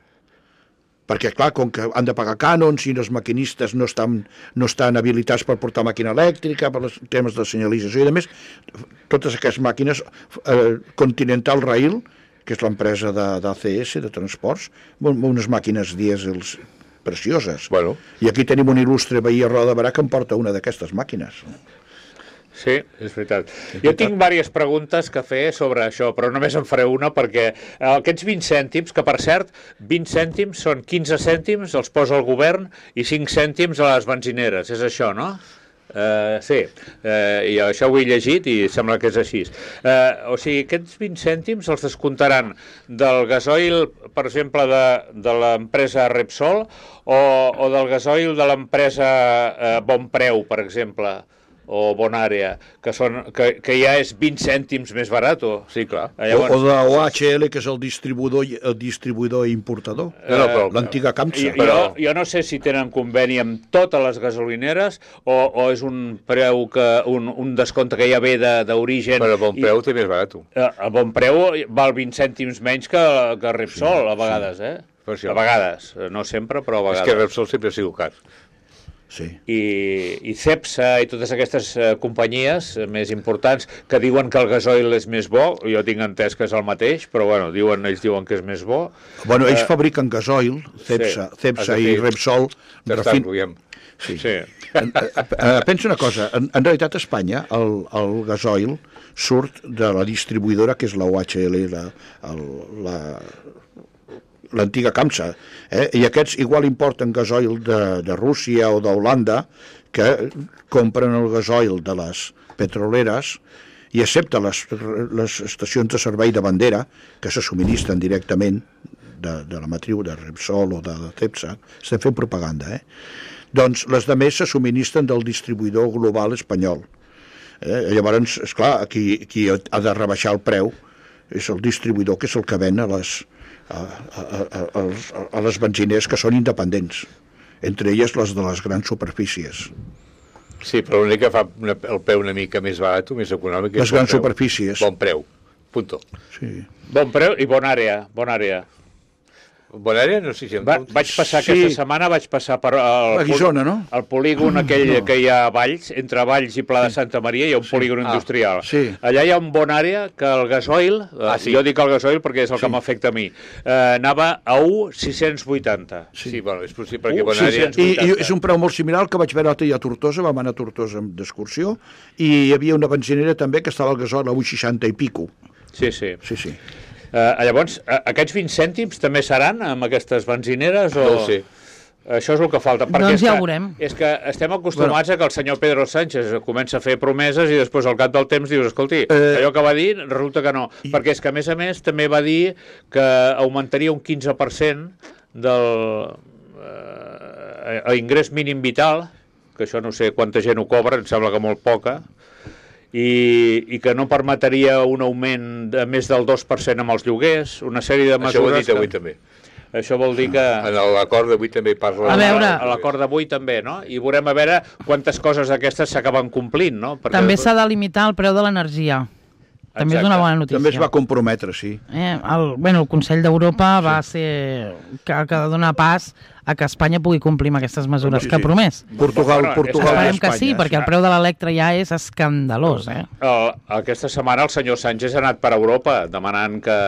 Perquè, clar, com que han de pagar cànons i els maquinistes no estan, no estan habilitats per portar màquina elèctrica, per els temes de senyalització i a més, totes aquestes màquines, eh, Continental Rail, que és l'empresa de- d'A C S, de transports, amb unes màquines dièsels precioses. Bueno. I aquí tenim un il·lustre veí a Roda de Barà que em porta una d'aquestes màquines. Sí, és veritat. Jo tinc diverses preguntes que fer sobre això, però només en faré una perquè aquests vint cèntims, que per cert, vint cèntims són quinze cèntims, els posa el govern, i cinc cèntims a les benzineres. És això, no? Uh, sí, uh, i això ho he llegit i sembla que és així. Uh, o sigui, aquests vint cèntims els descomptaran del gasoil, per exemple, de, de l'empresa Repsol o, o del gasoil de l'empresa uh, Bonpreu, per exemple, o Bonàrea, que, són, que, que ja és vint cèntims més barat. Sí, clar. O, o de O H L, que és el distribuïdor, el distribuïdor i importador. No, no, però- L'antiga Camsa. Jo, Però- jo no sé si tenen conveni amb totes les gasolineres o, o és un preu que un, un descompte que ja ve de- d'origen. Però a bon preu també és barat. A bon preu val vint cèntims menys que, que Repsol, a vegades, eh? Per això. A vegades, no sempre, però a És vegades. que Repsol sempre ha sigut car. Sí. I, i Cepsa i totes aquestes eh, companyies eh, més importants que diuen que el gasoil és més bo, jo tinc entès que és el mateix, però bueno, diuen, ells diuen que és més bo. Bueno, ells Eh, fabriquen gasoil, Cepsa, sí, Cepsa has de i fer- Repsol. Ja està, refin- enrotllam. Sí. Sí. En- eh, eh, pensa una cosa, en, en realitat a Espanya el, el gasoil surt de la distribuïdora que és la O H L, la, el, la, l'antiga Camsa, eh? I aquests igual importen gasoil de, de Rússia o d'Holanda, que compren el gasoil de les petroleres i excepte les, les estacions de servei de bandera, que se subministren directament de, de la matriu de Repsol o de, de Cepsa, estem fent propaganda, eh? Doncs les de més se subministren del distribuïdor global espanyol. Eh? Llavors, esclar, qui, qui ha de rebaixar el preu és el distribuïdor, que és el que ven a les, a, a, a, a, a les benziners que són independents, entre elles les de les grans superfícies. Sí, però l'únic que fa una, el preu una mica més barat, més econòmic... és Les bon grans preu. superfícies. Bon preu, punto. Sí. Bon preu i bona àrea, bona àrea. Bona àrea, no sé si... Va, vaig passar Sí. aquesta setmana, vaig passar per el, A Guissona, no? el polígon aquell no. que hi ha a Valls, entre Valls i Pla de Santa Maria, hi ha un sí. polígon Ah, industrial. sí. Allà hi ha un bon àrea que el gasoil, Ah, ah, sí. sí. jo dic el gasoil perquè és el sí. que m'afecta a mi, eh, anava a un coma sis cents vuitanta. Sí, sí bueno, és possible, perquè Uh, bona sí, àrea... sí. I, I és un preu molt similar al que vaig veure l'altre dia a Tortosa, vam anar a Tortosa d'excursió, i hi havia una benzinera també que estava al gasoil a un coma seixanta i pico. Sí, sí. Sí, sí. Uh, llavors, uh, aquests vint cèntims també seran amb aquestes benzineres? O... No ho sé. Això és el que falta. Perquè Doncs és ja que, ho veurem. És que estem acostumats bueno. a que el senyor Pedro Sánchez comença a fer promeses i després al cap del temps dius, escolti, Eh, allò que va dir resulta que no. I... Perquè és que, a més a més, també va dir que augmentaria un quinze per cent del eh, l'ingrés mínim vital, que això no sé quanta gent ho cobra, em sembla que molt poca, i, i que no permetria un augment de més del dos per cent amb els lloguers, una sèrie de mesures... Això ho he dit avui que... també. Això vol dir que... En l'acord d'avui també parla... A veure. A l'acord d'avui també, no? I veurem a veure quantes coses d'aquestes s'acaben complint, no? Perquè... També s'ha de limitar el preu de l'energia. També és una bona notícia. També es va comprometre, sí. Eh, el, bueno, el Consell d'Europa sí. va ser que, que dona pas a que Espanya pugui complir amb aquestes mesures sí, que ha sí. promès. Portugal, Bueno, Portugal i Esperem Espanya. que sí, perquè el preu de l'Electra ja és escandalós. Eh? El, aquesta setmana el senyor Sánchez ha anat per Europa demanant que,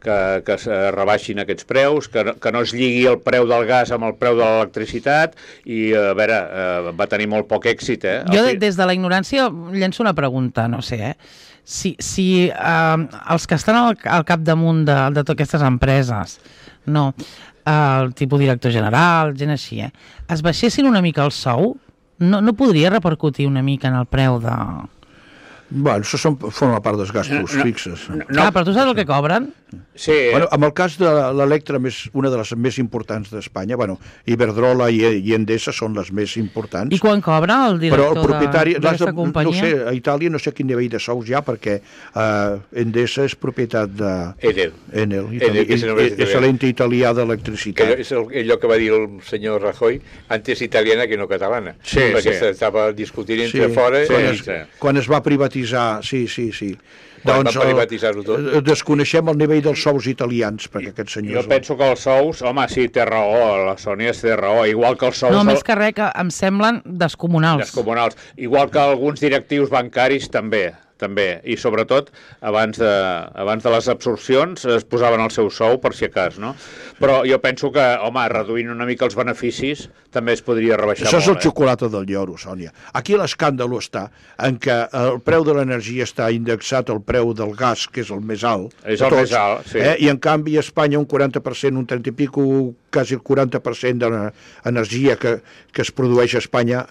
que, que es rebaixin aquests preus, que, que no es lligui el preu del gas amb el preu de l'electricitat i, a veure, eh, va tenir molt poc èxit. Eh? Jo des de la ignorància llenço una pregunta, no sé, eh? Si, si eh, els que estan al, al capdamunt de, de totes aquestes empreses, no, el tipus director general, gent així, eh, es baixessin una mica el sou, no, no podria repercutir una mica en el preu de... Bueno, això són, forma part dels gastos No, no, fixes. no. Clar, però tu saps el que cobren? Sí, Bueno, amb el cas de l'Electra, més, una de les més importants d'Espanya, bueno, Iberdrola i, i Endesa són les més importants. I quan cobra el Però director el propietari, de- l'has d'aquesta de, companyia? no sé, a Itàlia no sé quin nivell de sous hi ha, perquè uh, Endesa és propietat de Enel. Enel, Enel, Itali, que és el és, és l'ente italià Que d'electricitat. és el, allò que va dir el senyor Rajoy, antes italiana que no catalana. Sí, perquè sí. s'estava discutint entre fora. quan, i- es, sí. quan es va privatitzar, sí, sí, sí. Quan Doncs, va privatitzar-ho tot. eh, desconeixem el nivell dels sous italians, perquè aquests senyors... jo penso que els sous, home, sí, té raó, la Sònia té raó, igual que els sous... No, del- més que res, que em semblen descomunals. descomunals. Igual que alguns directius bancaris també, també. I sobretot, abans de, abans de les absorcions es posaven el seu sou per si acas, no? Però jo penso que, home, reduint una mica els beneficis també es podria rebaixar Això és el molt, eh? xocolata del lloro, Sònia. Aquí l'escàndol està en què el preu de l'energia està indexat al preu del gas, que és el més alt. És de el tots, més alt, sí. Eh? I en canvi a Espanya un quaranta per cent, un trenta i pico, quasi el quaranta per cent de l'energia que, que es produeix a Espanya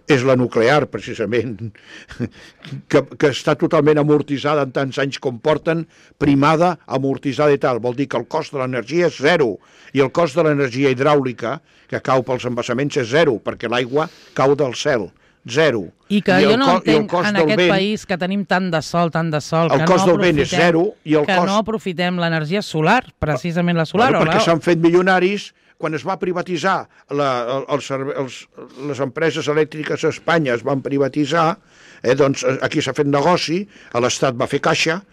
és la nuclear, precisament, que, que està totalment amortitzada en tants anys com porten, primada, amortitzada i tal. Vol dir que el cost de l'energia és zero, i el cost de l'energia hidràulica, que cau pels embassaments, és zero, perquè l'aigua cau del cel. Zero. I que I jo el no co- i el entenc cost en del aquest vent- país que tenim tant de sol, tant de sol, El que cost no del vent és aprofitem- zero i el que cost- no aprofitem l'energia solar, precisament la solar. Bueno, o perquè la- s'han fet milionaris quan es va privatitzar la, el, el, serve- els, les empreses elèctriques a Espanya es van privatitzar, eh, doncs aquí s'ha fet negoci, l'Estat va fer caixa,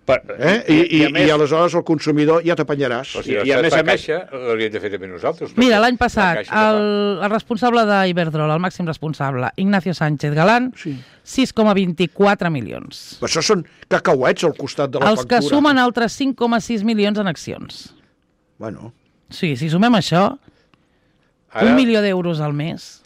Per, eh, i, i, a més, i aleshores el consumidor ja t'apanyaràs. O sigui, I- i a l'estat més fa a més- caixa l'hauríem de fer també nosaltres. Mira, perquè l'any la passat, caixa que el, fa. el responsable d'Iberdrola, el màxim responsable, Ignacio Sánchez Galán, Sí. sis coma vint-i-quatre milions. Això són cacauets al costat de la Els que factura. sumen altres cinc coma sis milions en accions. Bueno, Sí, si sumem això, Ara, un milió d'euros al mes,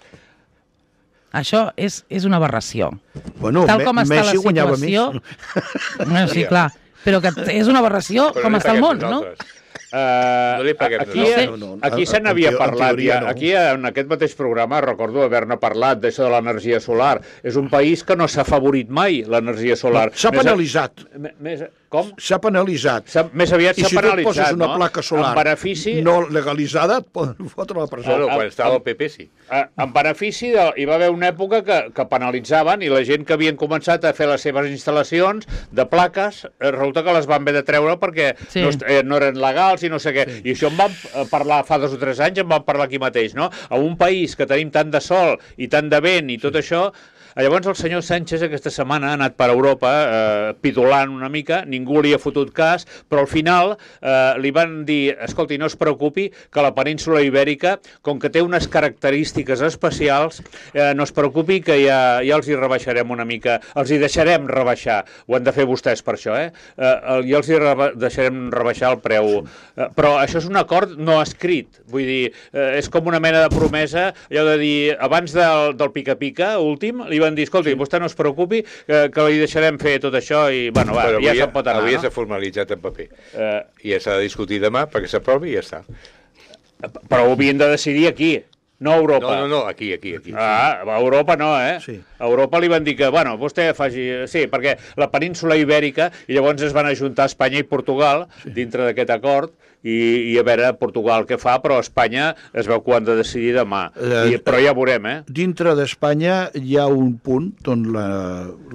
això és, és una aberració. bueno Tal Me- com està Messi la guanyava situació... més. No, sí, clar, però que és una aberració però com no li està el paguem món, no? nosaltres. Uh, No li paguem aquí nosaltres. No, no, aquí en- se n'havia en teo- en parlat teoria ja. no. Aquí en aquest mateix programa recordo haver-ne parlat d'això de l'energia solar. És un país que no s'ha favorit mai l'energia solar. S'ha Més a- penalitzat. me- Més, com? S'ha penalitzat. S'ha- Més aviat I s'ha si tu et penalitzat, poses una no? placa solar En benefici... no legalitzada, et poden fotre a la presó. Bueno, Ah, quan ah, estava ah. el P P sí. Eh, en benefici, de, hi va haver una època que, que penalitzaven i la gent que havien començat a fer les seves instal·lacions de plaques, eh, resulta que les van haver de treure perquè Sí. no, est- eh, no eren legals i no sé què. Sí. I això en vam eh, parlar fa dos o tres anys, en vam parlar aquí mateix, no? A un país que tenim tant de sol i tant de vent i tot això... Llavors el senyor Sánchez aquesta setmana ha anat per Europa eh, pidolant una mica, ningú li ha fotut cas, però al final eh, li van dir, escolti, no es preocupi que la península ibèrica, com que té unes característiques especials, eh, no es preocupi que ja, ja els hi rebaixarem una mica, els hi deixarem rebaixar, ho han de fer vostès per això, eh? eh ja els hi reba deixarem rebaixar el preu. Eh, però això és un acord no escrit, vull dir, eh, és com una mena de promesa, allò de dir, abans del, del pica-pica últim, li van dir, escolti, sí. vostè no es preocupi, que, que li deixarem fer tot això i, bueno, va, Però ja avui, se'n pot anar, avui no? s'ha formalitzat en paper. Eh, I ja s'ha de discutir demà perquè s'aprovi i ja està. però ho havien de decidir aquí, no a Europa. No, no, no, aquí, aquí, aquí. Ah, a Europa no, eh? Sí. A Europa li van dir que, bueno, vostè faci... Sí, perquè la península ibèrica, i llavors es van ajuntar Espanya i Portugal sí. dintre d'aquest acord, i, i a veure Portugal què fa, però Espanya es veu que ho han de decidir demà. Eh, I, però ja veurem, eh? Dintre d'Espanya hi ha un punt on la,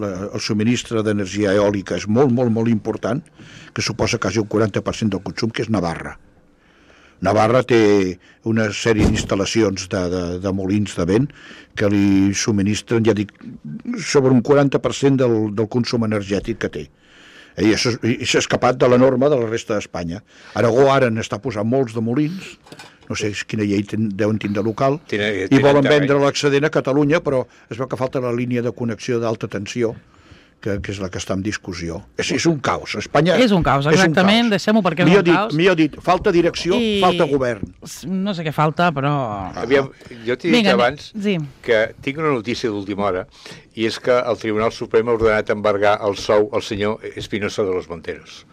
la, el subministre d'energia eòlica és molt, molt, molt important, que suposa quasi un quaranta per cent del consum, que és Navarra. Navarra té una sèrie d'instal·lacions de, de, de molins de vent que li subministren, ja dic, sobre un quaranta per cent del, del consum energètic que té. I s'ha escapat de la norma de la resta d'Espanya. Aragó ara n'està posant molts de molins, no sé quina llei ten, deuen tindre local, Tine, i volen vendre l'excedent a Catalunya, però es veu que falta la línia de connexió d'alta tensió, que, que és la que està en discussió. És, és un caos. Espanya És un caos, exactament, deixem-ho perquè és millor un dit, caos. Millor dit, falta direcció, I... falta govern. No sé què falta, però... Aviam, jo t'he dit Vinga, abans sí. que tinc una notícia d'última hora, i és que el Tribunal Suprem ha ordenat embargar el sou al senyor Espinosa de los Monteros.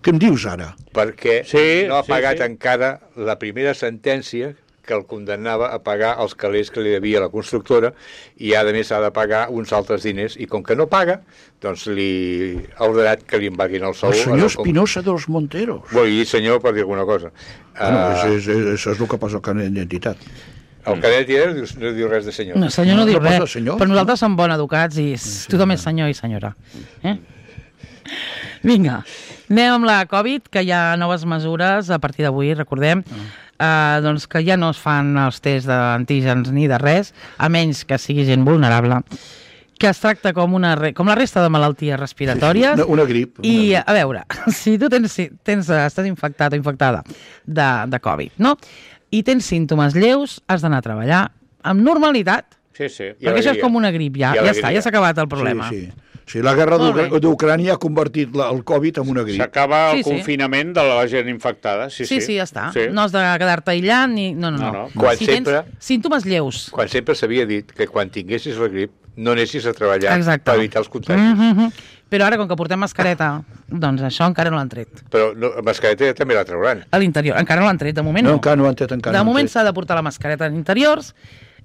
Què em dius ara? Perquè Sí, no ha sí, pagat sí. encara la primera sentència que el condemnava a pagar els calés que li devia la constructora, i a més ha de pagar uns altres diners, i com que no paga, doncs li ha ordenat que li embarguin el sou. El senyor com... Espinosa de los Monteros. Vull dir senyor per dir alguna cosa. Bueno, uh, és, és, és, això és el que posa al carnet d'identitat. el cadet no diu, no diu res de senyor. No, senyor no, No, diu no posa res, senyor. però nosaltres som bon educats i sí, tothom és senyor i senyora. Eh? Vinga, anem amb la Covid, que hi ha noves mesures a partir d'avui, recordem, eh, doncs que ja no es fan els tests d'antígens ni de res, a menys que sigui gent vulnerable, que es tracta com, una, re- com la resta de malalties respiratòries. Una, una grip. Una I, grip. a veure, si tu tens, si tens, estàs infectat o infectada de, de Covid, no? I tens símptomes lleus, has d'anar a treballar amb normalitat, Sí, sí. I perquè això és alegria. com una grip, ja, I ja està, alegria. ja s'ha acabat el problema. Sí, sí. Sí, la guerra Molt bé. d'Ucra- d'Ucrània ha convertit la, el Covid en una grip. S'acaba el Sí, sí. confinament de la gent infectada. Sí, Sí, sí, sí, ja està. Sí. No has de quedar-te aïllant ni... No, no, no. No, no. Quan si sempre- tens símptomes lleus. Quan sempre s'havia dit que quan tinguessis la grip no anessis a treballar Exacte. per evitar els contagis. Mm -hmm. Però ara, com que portem mascareta, doncs això encara no l'han tret. Però no, la mascareta també la trauran. A l'interior, encara no l'han tret, de moment No, no. encara no ho han tret, encara de no ho han moment tret. s'ha de portar la mascareta en interiors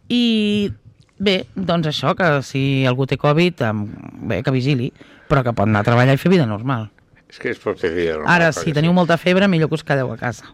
i... Bé, doncs això, que si algú té Covid, em- bé, que vigili, però que pot anar a treballar i fer vida normal. És que és pot fer vida normal. Ara, perquè si teniu molta febre, millor que us quedeu a casa.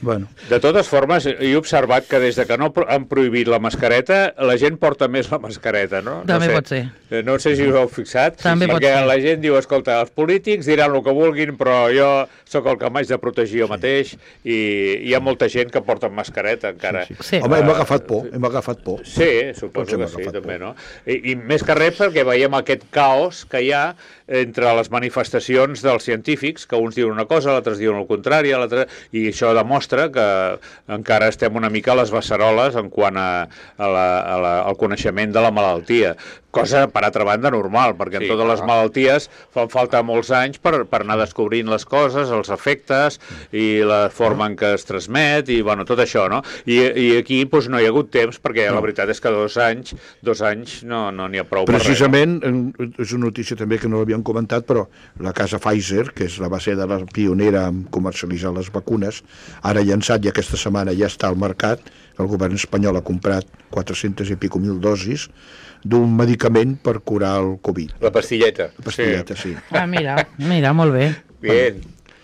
Bueno, De totes formes, he observat que des de que no pro- han prohibit la mascareta, la gent porta més la mascareta, no? També no sé, pot ser. Eh, No sé si us heu fixat, També pot perquè ser. la gent diu, escolta, els polítics diran el que vulguin, però jo sóc el que m'haig de protegir jo mateix, i hi ha molta gent que porta mascareta encara. sí, sí. Sí. Home, hem agafat por, hem agafat por. Sí, suposo Tots hem que sí, agafat també, por. no? I, I més que res perquè veiem aquest caos que hi ha entre les manifestacions dels científics, que uns diuen una cosa, l'altres diuen el contrari, l'altre... i això demostra que encara estem una mica a les beceroles en quant a, a la, a la, al coneixement de la malaltia. Cosa, per altra banda, normal, perquè Sí, en totes clar. les malalties fan falta molts anys per, per anar descobrint les coses, els efectes i la forma en què es transmet i, bueno, tot això, no? I, i aquí doncs, no hi ha hagut temps, perquè la veritat és que dos anys, dos anys no no n'hi ha prou per res. Precisament, en- és una notícia també que no l'havíem comentat, però la casa Pfizer, que és la va ser de la pionera en comercialitzar les vacunes, ara ha llançat i aquesta setmana ja està al mercat, el govern espanyol ha comprat quatre-centes i pico mil dosis d'un medicament per curar el Covid. La pastilleta. La pastilleta, sí. sí. Ah, mira, mira, molt bé. Bien.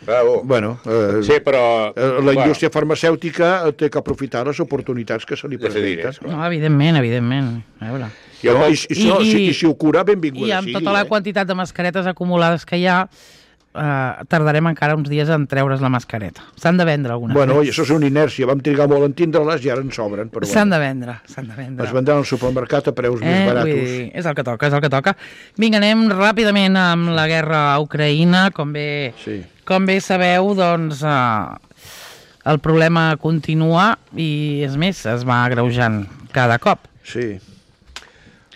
Bravo. Bueno, eh, Sí, però... eh, la indústria farmacèutica té que aprofitar les oportunitats que se li De fer presenten. diners, No, evidentment, evidentment. A veure. Jo No, com- i, i, si, no, I- si, i- I si ho cura, I benvinguda amb sigui. tota la eh? quantitat de mascaretes acumulades que hi ha, eh, tardarem encara uns dies en treure's la mascareta. S'han de vendre algunes. Bueno, i més. això és una inèrcia. Vam trigar molt en tindre-les i ara en sobren. Però S'han bueno, de vendre, s'han de vendre. es vendran al supermercat a preus més Eh, vull baratos. dir, és el que toca, és el que toca. Vinga, anem ràpidament amb la guerra a Ucraïna. Com bé, Sí. com bé sabeu, doncs, eh, el problema continua i, és més, es va agreujant cada cop. Sí.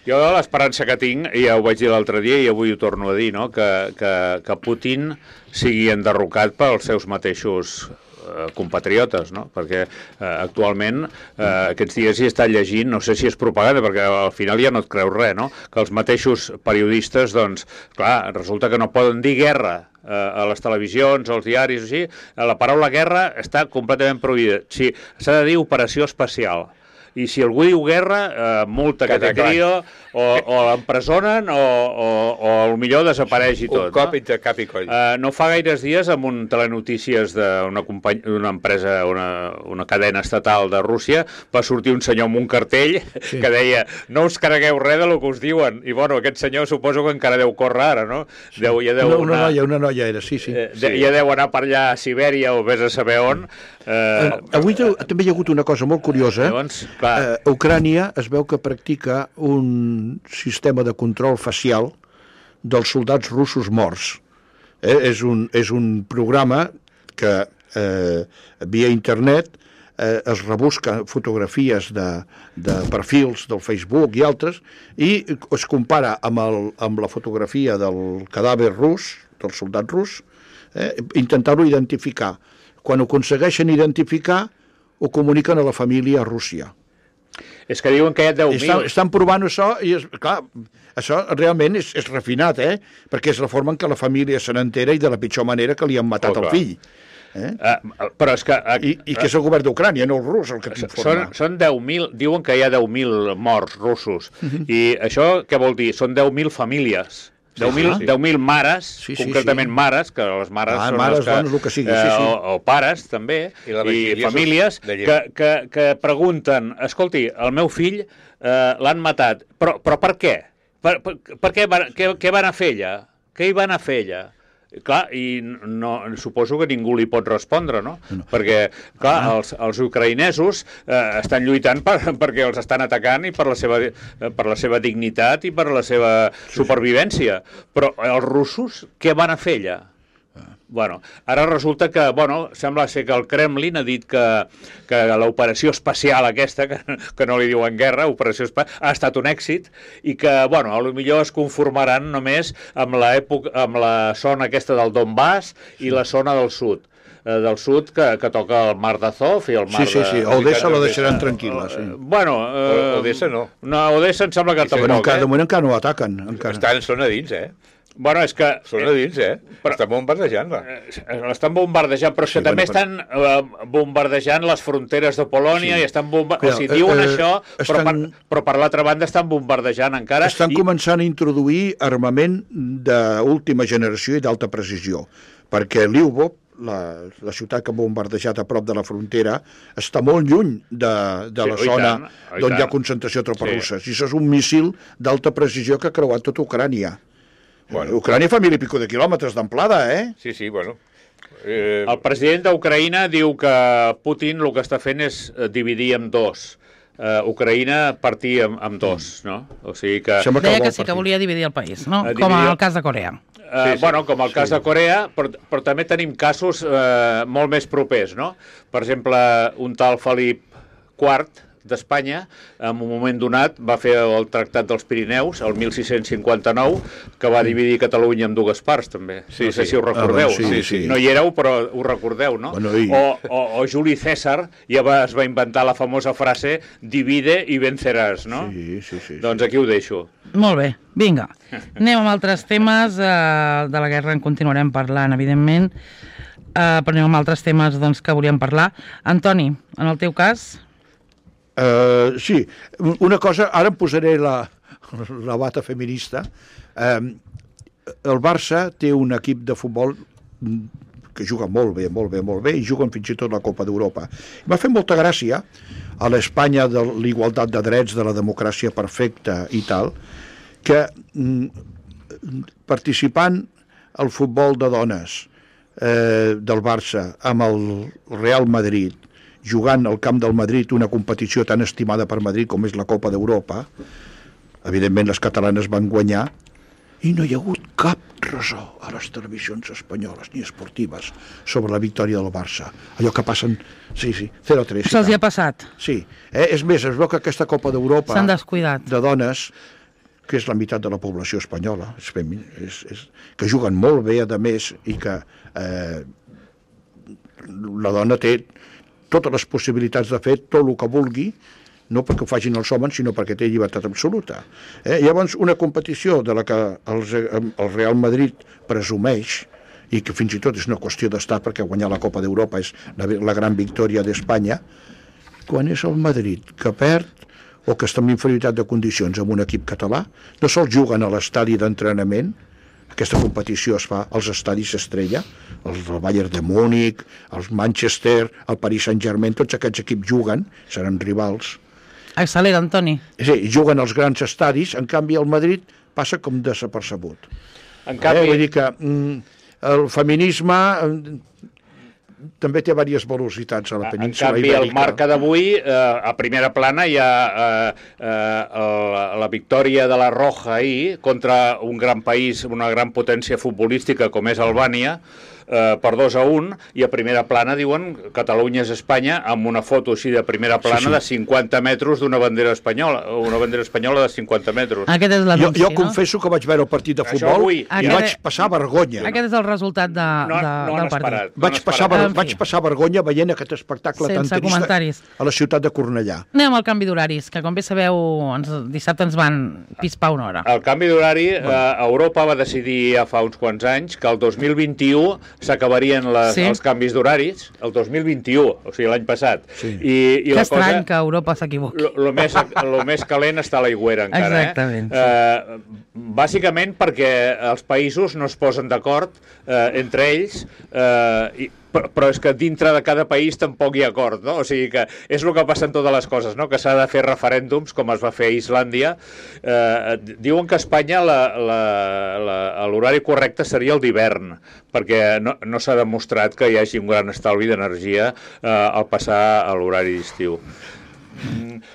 Jo l'esperança que tinc, i ja ho vaig dir l'altre dia i avui ho torno a dir, no? que, que, que Putin sigui enderrocat pels seus mateixos eh, compatriotes, no? Perquè eh, actualment eh, aquests dies hi està llegint, no sé si és propaganda, perquè al final ja no et creus res, no? Que els mateixos periodistes, doncs, clar, resulta que no poden dir guerra eh, a les televisions, als diaris, o així. La paraula guerra està completament prohibida. Sí, s'ha de dir operació especial. I si algú diu guerra, eh, multa que té trio, o, o l'empresonen, o, o, o millor desapareix i tot. Un cop no? entre cap i coll. Uh, no fa gaires dies, amb un telenotícies d'una company... d'una empresa, una, una cadena estatal de Rússia, va sortir un senyor amb un cartell sí. que deia no us cregueu res del que us diuen. I, bueno, aquest senyor suposo que encara deu córrer ara, no? Sí. Deu, ja deu Una, una anar, noia, una noia era, sí, sí. eh, de, ja deu anar per allà a Sibèria o vés a saber on. Eh, Eh, avui te- també hi ha hagut una cosa molt curiosa. Llavors, clar, Eh, Ucrània es veu que practica un sistema de control facial dels soldats russos morts. Eh? És, un, és un programa que eh, via internet eh, es rebusca fotografies de, de perfils del Facebook i altres i es compara amb, el, amb la fotografia del cadàver rus, del soldat rus, eh, intentar-lo identificar. Quan ho aconsegueixen identificar, ho comuniquen a la família a Rússia. És que diuen que hi ha deu mil... Estan, estan provant això i, és, clar, això realment és, és refinat, eh? Perquè és la forma en què la família se n'entera i de la pitjor manera que li han matat Oh, el clar. fill. Eh? Uh, però és que... Uh, I, I que és el govern d'Ucrània, no el rus, el que t'informa. Són, són deu mil, diuen que hi ha deu mil morts russos. Uh-huh. I això què vol dir? Són deu mil famílies. deu mil sí. deu mil mares, Sí, sí, concretament sí. mares, que les mares Ah, són mares, les que... dones, el que sigui, sí, sí. O, o pares, també, I la i majoria famílies són de que, llei. que, que pregunten, escolti, el meu fill eh, l'han matat, però, però per què? Per, per, per què, van, què, què van a fer ella? Què hi van a fer ella? Clar, i no, suposo que ningú li pot respondre, no? no. Perquè, clar, ah. els, els ucraïnesos eh, estan lluitant per, perquè els estan atacant i per la seva, per la seva dignitat i per la seva sí, supervivència. Però els russos, què van a fer allà? Bueno, ara resulta que, bueno, sembla ser que el Kremlin ha dit que, que l'operació espacial aquesta, que, que no li diuen guerra, operació espacial, ha estat un èxit i que, bueno, potser es conformaran només amb la, època, amb la zona aquesta del Donbass i la zona del sud. Eh, del sud que, que toca el mar d'Azov i el mar Sí, sí, sí. de... Odessa la deixaran tranquil·la, sí. Bueno... Eh, Odessa no. No, Odessa em sembla que Sí, Bueno, tampoc, encara, de eh? moment encara no ataquen. Encara. Estan, són a dins, eh? Bueno, és que... Són a dins, eh? Però- Estan bombardejant-la. Eh, L'estan bombardejant, però és Sí, que també bueno, estan eh, bombardejant les fronteres de Polònia Sí. i estan bombardejant... Cuidado, O sigui, diuen eh, eh, això, però, estan- per, però per l'altra banda estan bombardejant encara... Estan i... començant a introduir armament d'última generació i d'alta precisió, perquè Lvov, la, la ciutat que ha bombardejat a prop de la frontera, està molt lluny de, de la Sí, oi zona tant, oi d'on hi ha tant. concentració de tropes Sí. russes. I això és un míssil d'alta precisió que ha creuat tota Ucrània. Bueno. Ucrània fa mil i pico de quilòmetres d'amplada, eh? Sí, sí, bueno. Eh, El president d'Ucraïna diu que Putin el que està fent és eh, dividir en dos. Uh, Ucraïna partir en, en dos, no? O sigui que... Sembla Deia vol que sí que partir. volia dividir el país, no? Eh, Com dividir- el cas de Corea. Uh, Sí, sí. Bueno, com el cas de Corea, però, però també tenim casos uh, molt més propers, no? Per exemple, un tal Felip quart d'Espanya, en un moment donat, va fer el Tractat dels Pirineus, el mil sis-cents cinquanta-nou, que va dividir Catalunya en dues parts, també. Sí, no sé sí. si ho recordeu. Ah, bueno, sí, no? sí. No hi éreu, però ho recordeu, no? Bueno, i- o, o, o Juli César ja va, es va inventar la famosa frase divide i venceràs, no? Sí, sí, sí. Doncs aquí ho deixo. Molt bé, vinga. Anem amb altres temes. Eh, de la guerra en continuarem parlant, evidentment. Eh, però anem amb altres temes doncs, que volíem parlar. Antoni, en el teu cas... Uh, sí, una cosa, ara em posaré la, la bata feminista. Um, el Barça té un equip de futbol que juga molt bé, molt bé, molt bé, i juguen fins i tot la Copa d'Europa. M'ha fet molta gràcia a l'Espanya de l'igualtat de drets, de la democràcia perfecta i tal, que mm, participant al futbol de dones eh, del Barça amb el Real Madrid, jugant al camp del Madrid una competició tan estimada per Madrid com és la Copa d'Europa, evidentment les catalanes van guanyar i no hi ha hagut cap ressò a les televisions espanyoles ni esportives sobre la victòria del Barça. Allò que passen, sí, sí, zero a tres. Se'ls hi ha passat. Sí, eh? És més, es veu que aquesta Copa d'Europa S'han descuidat. de dones, que és la meitat de la població espanyola, és femi, és, és, que juguen molt bé, a més, i que eh, la dona té totes les possibilitats de fer tot el que vulgui, no perquè ho facin els homes, sinó perquè té llibertat absoluta. Eh? Llavors, una competició de la que els, el Real Madrid presumeix, i que fins i tot és una qüestió d'estat, perquè guanyar la Copa d'Europa és la, la gran victòria d'Espanya, quan és el Madrid que perd o que està en inferioritat de condicions amb un equip català, no sols juguen a l'estadi d'entrenament. Aquesta competició es fa als estadis estrella, els del Bayern de Múnich, els Manchester, el Paris Saint-Germain, tots aquests equips juguen, seran rivals. Accelera, Antoni. Sí, juguen als grans estadis, en canvi el Madrid passa com desapercebut. En Eh? canvi, Vull dir que mm, el feminisme, mm, també té diverses velocitats a la En península canvi, ibèrica. el marca d'avui, eh, a primera plana hi ha eh, eh, la, la victòria de la Roja ahir contra un gran país, una gran potència futbolística com és Albània, eh, per dos a un, i a primera plana diuen Catalunya és Espanya, amb una foto així de primera plana sí, sí. de cinquanta metres d'una bandera espanyola, una bandera espanyola de cinquanta metres. Aquest és Jo, l'anunci, jo no? confesso que vaig veure el partit de Això futbol avui. i Aquest- vaig passar vergonya. Aquest és el resultat de, No, de, no han del partit. esperat. Vaig no passar, esperat. ver, En fi. vaig passar vergonya veient aquest espectacle Sense tan trist comentaris. a la ciutat de Cornellà. Anem al canvi d'horaris, que com bé sabeu, ens, dissabte ens van pispar una hora. El canvi d'horari, eh, Europa va decidir ja fa uns quants anys que el dos mil vint-i-u s'acabarien les- Sí. els canvis d'horaris, el dos mil vint-i-u, o sigui, l'any passat. Sí. I, i Que la estrany cosa... que Europa s'equivoqui. El més, lo més calent està a l'aigüera encara. Exactament, Eh? Eh, bàsicament perquè els països no es posen d'acord eh, entre ells, eh, i, però, però és que dintre de cada país tampoc hi ha acord, no? O sigui que és el que passa en totes les coses, no? Que s'ha de fer referèndums, com es va fer a Islàndia. Eh, diuen que a Espanya la- la- la- l'horari correcte seria el d'hivern, perquè no, no s'ha demostrat que hi hagi un gran estalvi d'energia eh, al passar a l'horari d'estiu.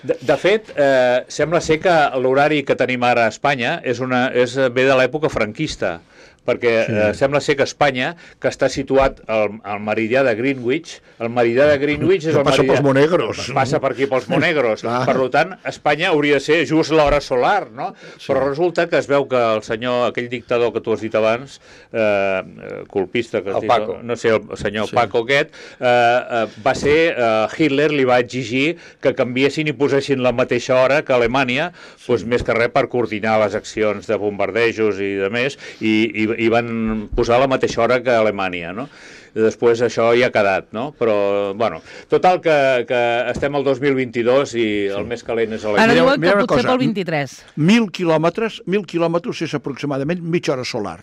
De, de fet, eh, sembla ser que l'horari que tenim ara a Espanya és una, és, ve de l'època franquista, perquè sí. eh, sembla ser que Espanya, que està situat al, al meridià de Greenwich, el meridià de Greenwich és Que el passa meridià... pels Monegros. Passa per aquí pels Monegros. Clar. Per tant, Espanya hauria de ser just l'hora solar, no? Sí. Però resulta que es veu que el senyor, aquell dictador que tu has dit abans, eh, colpista, que has El dit, Paco. no sé, el senyor Sí. sí. Paco aquest, eh, eh, va ser, eh, Hitler li va exigir que canviessin i posessin la mateixa hora que Alemanya, sí. doncs més que res per coordinar les accions de bombardejos i de més, i, i, i van posar la mateixa hora que Alemanya, no? I després això ja ha quedat, no? Però, bueno, total que, que estem al dos mil vint-i-dos i el més calent és a Ara la... Mireu- diuen que mireu una potser cosa. pel vint-i-tres. Mil quilòmetres, mil quilòmetres és aproximadament mitja hora solar.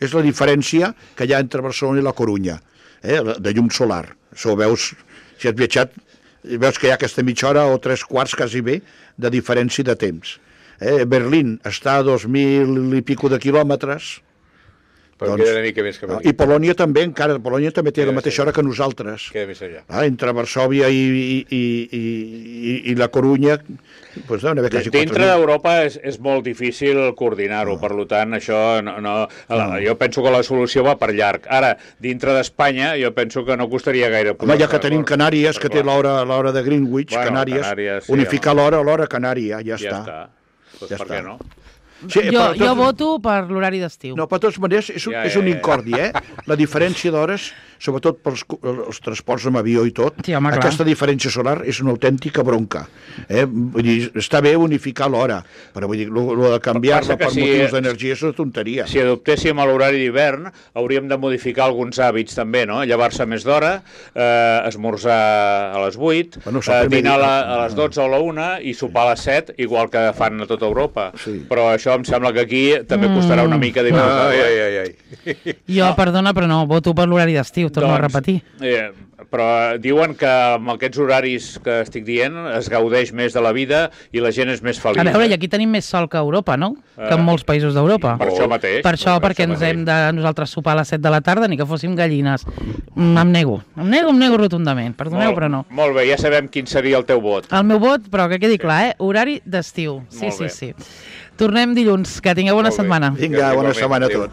És la diferència que hi ha entre Barcelona i la Corunya, eh, de llum solar. Això ho veus, si has viatjat, veus que hi ha aquesta mitja hora o tres quarts quasi bé de diferència de temps. Eh, Berlín està a dos mil i pico de quilòmetres, Però Doncs- queda una mica més que no? aquí. I Polònia també, encara, Polònia també té Queda la mateixa més hora que nosaltres. Queda més allà. Ah, entre Varsòvia i, i, i, i, i la Corunya, doncs deuen haver quasi quatre Dintre mil. d'Europa és, és molt difícil coordinar-ho, per tant, això no, no, no. Jo penso que la solució va per llarg. Ara, dintre d'Espanya, jo penso que no costaria gaire. Home, ja que posar-se tenim d'acord. Canàries, que té Clar. l'hora l'hora de Greenwich, Bueno, Canàries, Canàries, sí, unificar home. l'hora a l'hora canària, ja, Ja està. està. Pues Ja per està. què no? Sí, Jo, però jo tot- voto per l'horari d'estiu. No, però de totes maneres és un, Ja, és ja, un ja. incordi, eh? La diferència d'hores, sobretot pels co- els transports amb avió i tot, Sí, home, clar. aquesta diferència solar és una autèntica bronca. Eh? Vull dir, està bé unificar l'hora, però vull dir, lo, lo de canviar-la Passa que per si- motius d'energia és una tonteria. Si adoptéssim a l'horari d'hivern, hauríem de modificar alguns hàbits també, no? Llevar-se més d'hora, eh, esmorzar a les vuit, Bueno, això eh, primer dinar a, la, dia. a les dotze o a la una i sopar a les set, igual que fan a tota Europa. Sí. Però això em sembla que aquí també costarà una mica d'inventar. Ai, ai, ai, ai. Jo, perdona, però no, voto per l'horari d'estiu, torno a repetir. Eh, però diuen que amb aquests horaris que estic dient es gaudeix més de la vida i la gent és més feliç. A veure, i eh? aquí tenim més sol que a Europa, no? Eh, Que en molts països d'Europa. Per això mateix. Per això, perquè ens mateix. hem de nosaltres sopar a les set de la tarda ni que fóssim gallines. Mm, em nego, em nego, em nego rotundament. Perdoneu, Molt- però no. Molt bé, ja sabem quin seria el teu vot. El meu vot, però que quedi clar, eh? Horari d'estiu. Sí, Molt sí, bé. sí. Tornem dilluns. Que tingueu bona Molt bé. setmana. Vinga, bona Igualment, setmana a adéu. tots.